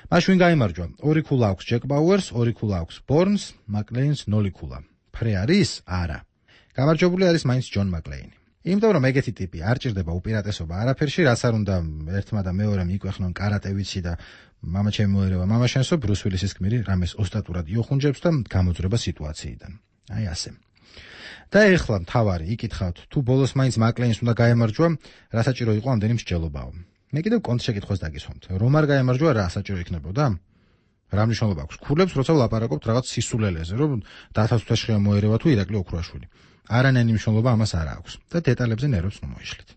მაშ ვინ გაიმარჯვა? ორი ქულა აქვს ჯეკ ბაუერს, ორი ქულა აქვს ბორნს, მაკლეინს ნული ქულა. ფრე არის? არა. გამარჯვებული არის მაინც ჯონ მაკლეინი. იმიტომ რომ ეგეთი ტიპი არ ჭირდება უპირატესობა არაფერში, რაც არ უნდა ერთმა და მეორემ იკვეხნონ კარატე ვიცი და მამა ჩემი მოერევა მამა შენსო, ბრუს უილისის გმირი რამეს ოსტატურად იოხუნჯებს და გამოძრება სიტუაციიდან. აი ასე. და ეხლა მთავარი იკითხავთ, თუ ბოლოს მაინც მაკლეინს უნდა გაემარჯვა, რა საჭირო იყო ამდენი მსჯელობაო. მე კიდევ კონტ შეკითხვას დაგისვამთ. რომ არ გაემარჯვა, რა საჭირო იქნებოდა? რა მნიშვნელობა აქვს? ქურლებს როცა ვლაპარაკობთ რაღაც სისულელეზე, რომ დათვასთვაშხია მოერევა თუ ირაკლი ოქროაშვილი. არანაირი მნიშვნელობა ამას არ აქვს და დეტალებზე ნერვებს ნუ მოიშლით.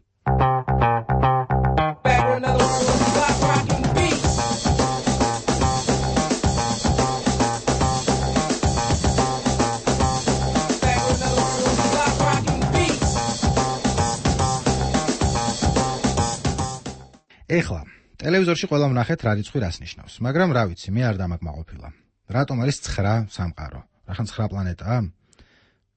ეხლა ტელევიზორში ყველა ვნახეთ რა რიცხვი რას ნიშნავს, მაგრამ რა ვიცი, მე არ დამაკმაყოფილა. რატომ არის ცხრა სამყარო? რახან ცხრა პლანეტაა?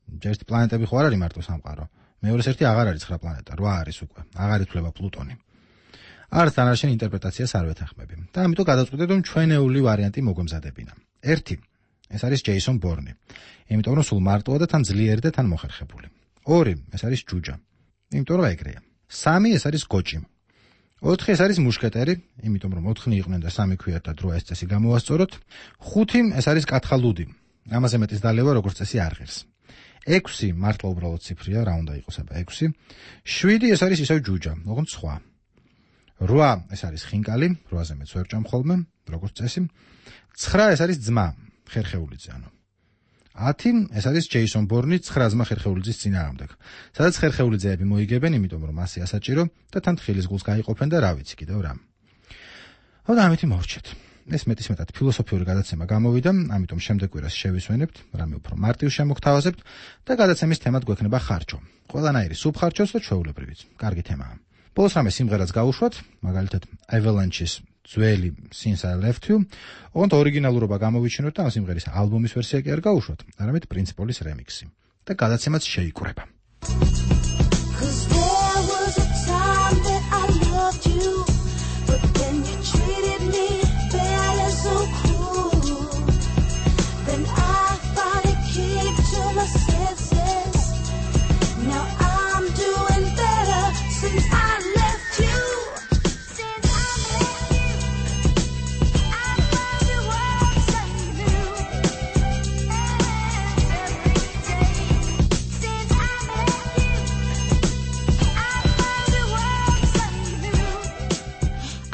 ჯერ პლანეტები ხო არ არის მარტო სამყარო. მეორეს ერთი აღარ არის ცხრა პლანეტა, რვა არის უკვე. აღარ ითვლება პლუტონი. არც დანარჩენ ინტერპრეტაციას არ ვეთანხმები. და ამიტომ გადავწყვიტე, რომ ჩვენეული ვარიანტი მოგვემზადებინა. ერთი. ეს არის ჯეისონ ბორნი. იმიტომ რომ სულ მარტოა და თან ძლიერი და თან მოხერხებული. ორი. ეს არის ჯუჯა. იმიტომ რომ ეგრეა. სამი. ეს არის გოჭი. ოთხი. ეს არის მუშკეტერი, იმიტომ რომ ოთხნი იყვნენ და სამი ქვიათ და დროა ეს წესი გამოვასწოროთ. ხუთი. ეს არის კათხალუდი. ამაზე მეტის დალევა როგორც წესი არ ღირს. ექვსი მართლა უბრალოდ ციფრია, რა უნდა იყოს აბა ექვსი. შვიდი ეს არის ისევ ჯუჯა, როგორც სხვა. რვა ეს არის ხინკალი, რვაზე მეც ვერ ჭამ ხოლმე, როგორც წესი. ცხრა ეს არის ძმა, ხერხეულიძე ანუ. ათი ეს არის ჯეისონ ბორნი, ცხრა ძმა ხერხეულიძის წინააღმდეგ. სადაც ხერხეულიძეები მოიგებენ, იმიტომ რომ მასე ასაჭირო და თან თხილის გულს გაიყოფენ და რა ვიცი კიდევ რა. და ამით მოვრჩეთ. ეს მეტის მეტად ფილოსოფიური გადაცემა გამოვიდა, ამიტომ შემდეგ კვირას შევისვენებთ, რამე უფრო მარტივ შემოგთავაზებთ და გადაცემის თემად გვექნება ხარჯო. ყველანაირი სუბხარჯოც და ჩვეულებრივიც. კარგი თემაა. ბოლოს რამე სიმღერაც გავუშვათ, მაგალითად Avalanche-ის ძველი Since I Left You, ოღონდ ორიგინალურობა გამოვიჩინოთ და ამ სიმღერის ალბომის ვერსია კი არ გავუშვათ, არამედ Prince Paul-ის რემიქსი. და გადაცემაც შეიკვრება.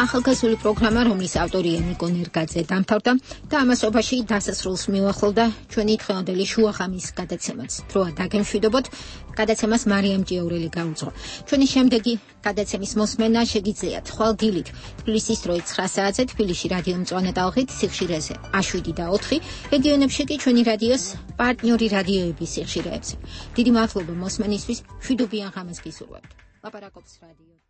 ახალგაზრდული პროგრამა, რომლის ავტორია ნიკო ნერგაძე დამთავრდა და ამასობაში დასასრულს მივახლოვდა ჩვენი დღევანდელი შუახამის გადაცემაც. დროა დაგემშვიდობოთ, გადაცემას მარიამ ჭიაურელი გაუძღვა. ჩვენი შემდეგი გადაცემის მოსმენა შეგიძლიათ ხვალ დილით თბილისის დროით ცხრა საათზე თბილისში რადიო მწვანე ტალღით სიხშირეზე შვიდი და ოთხი, რეგიონებში კი ჩვენი რადიოს პარტნიორი რადიოების სიხშირეებზე. დიდი მადლობა მოსმენისთვის, მშვიდობიან ღამეს გისურვებთ. ლაპარაკობს რადიო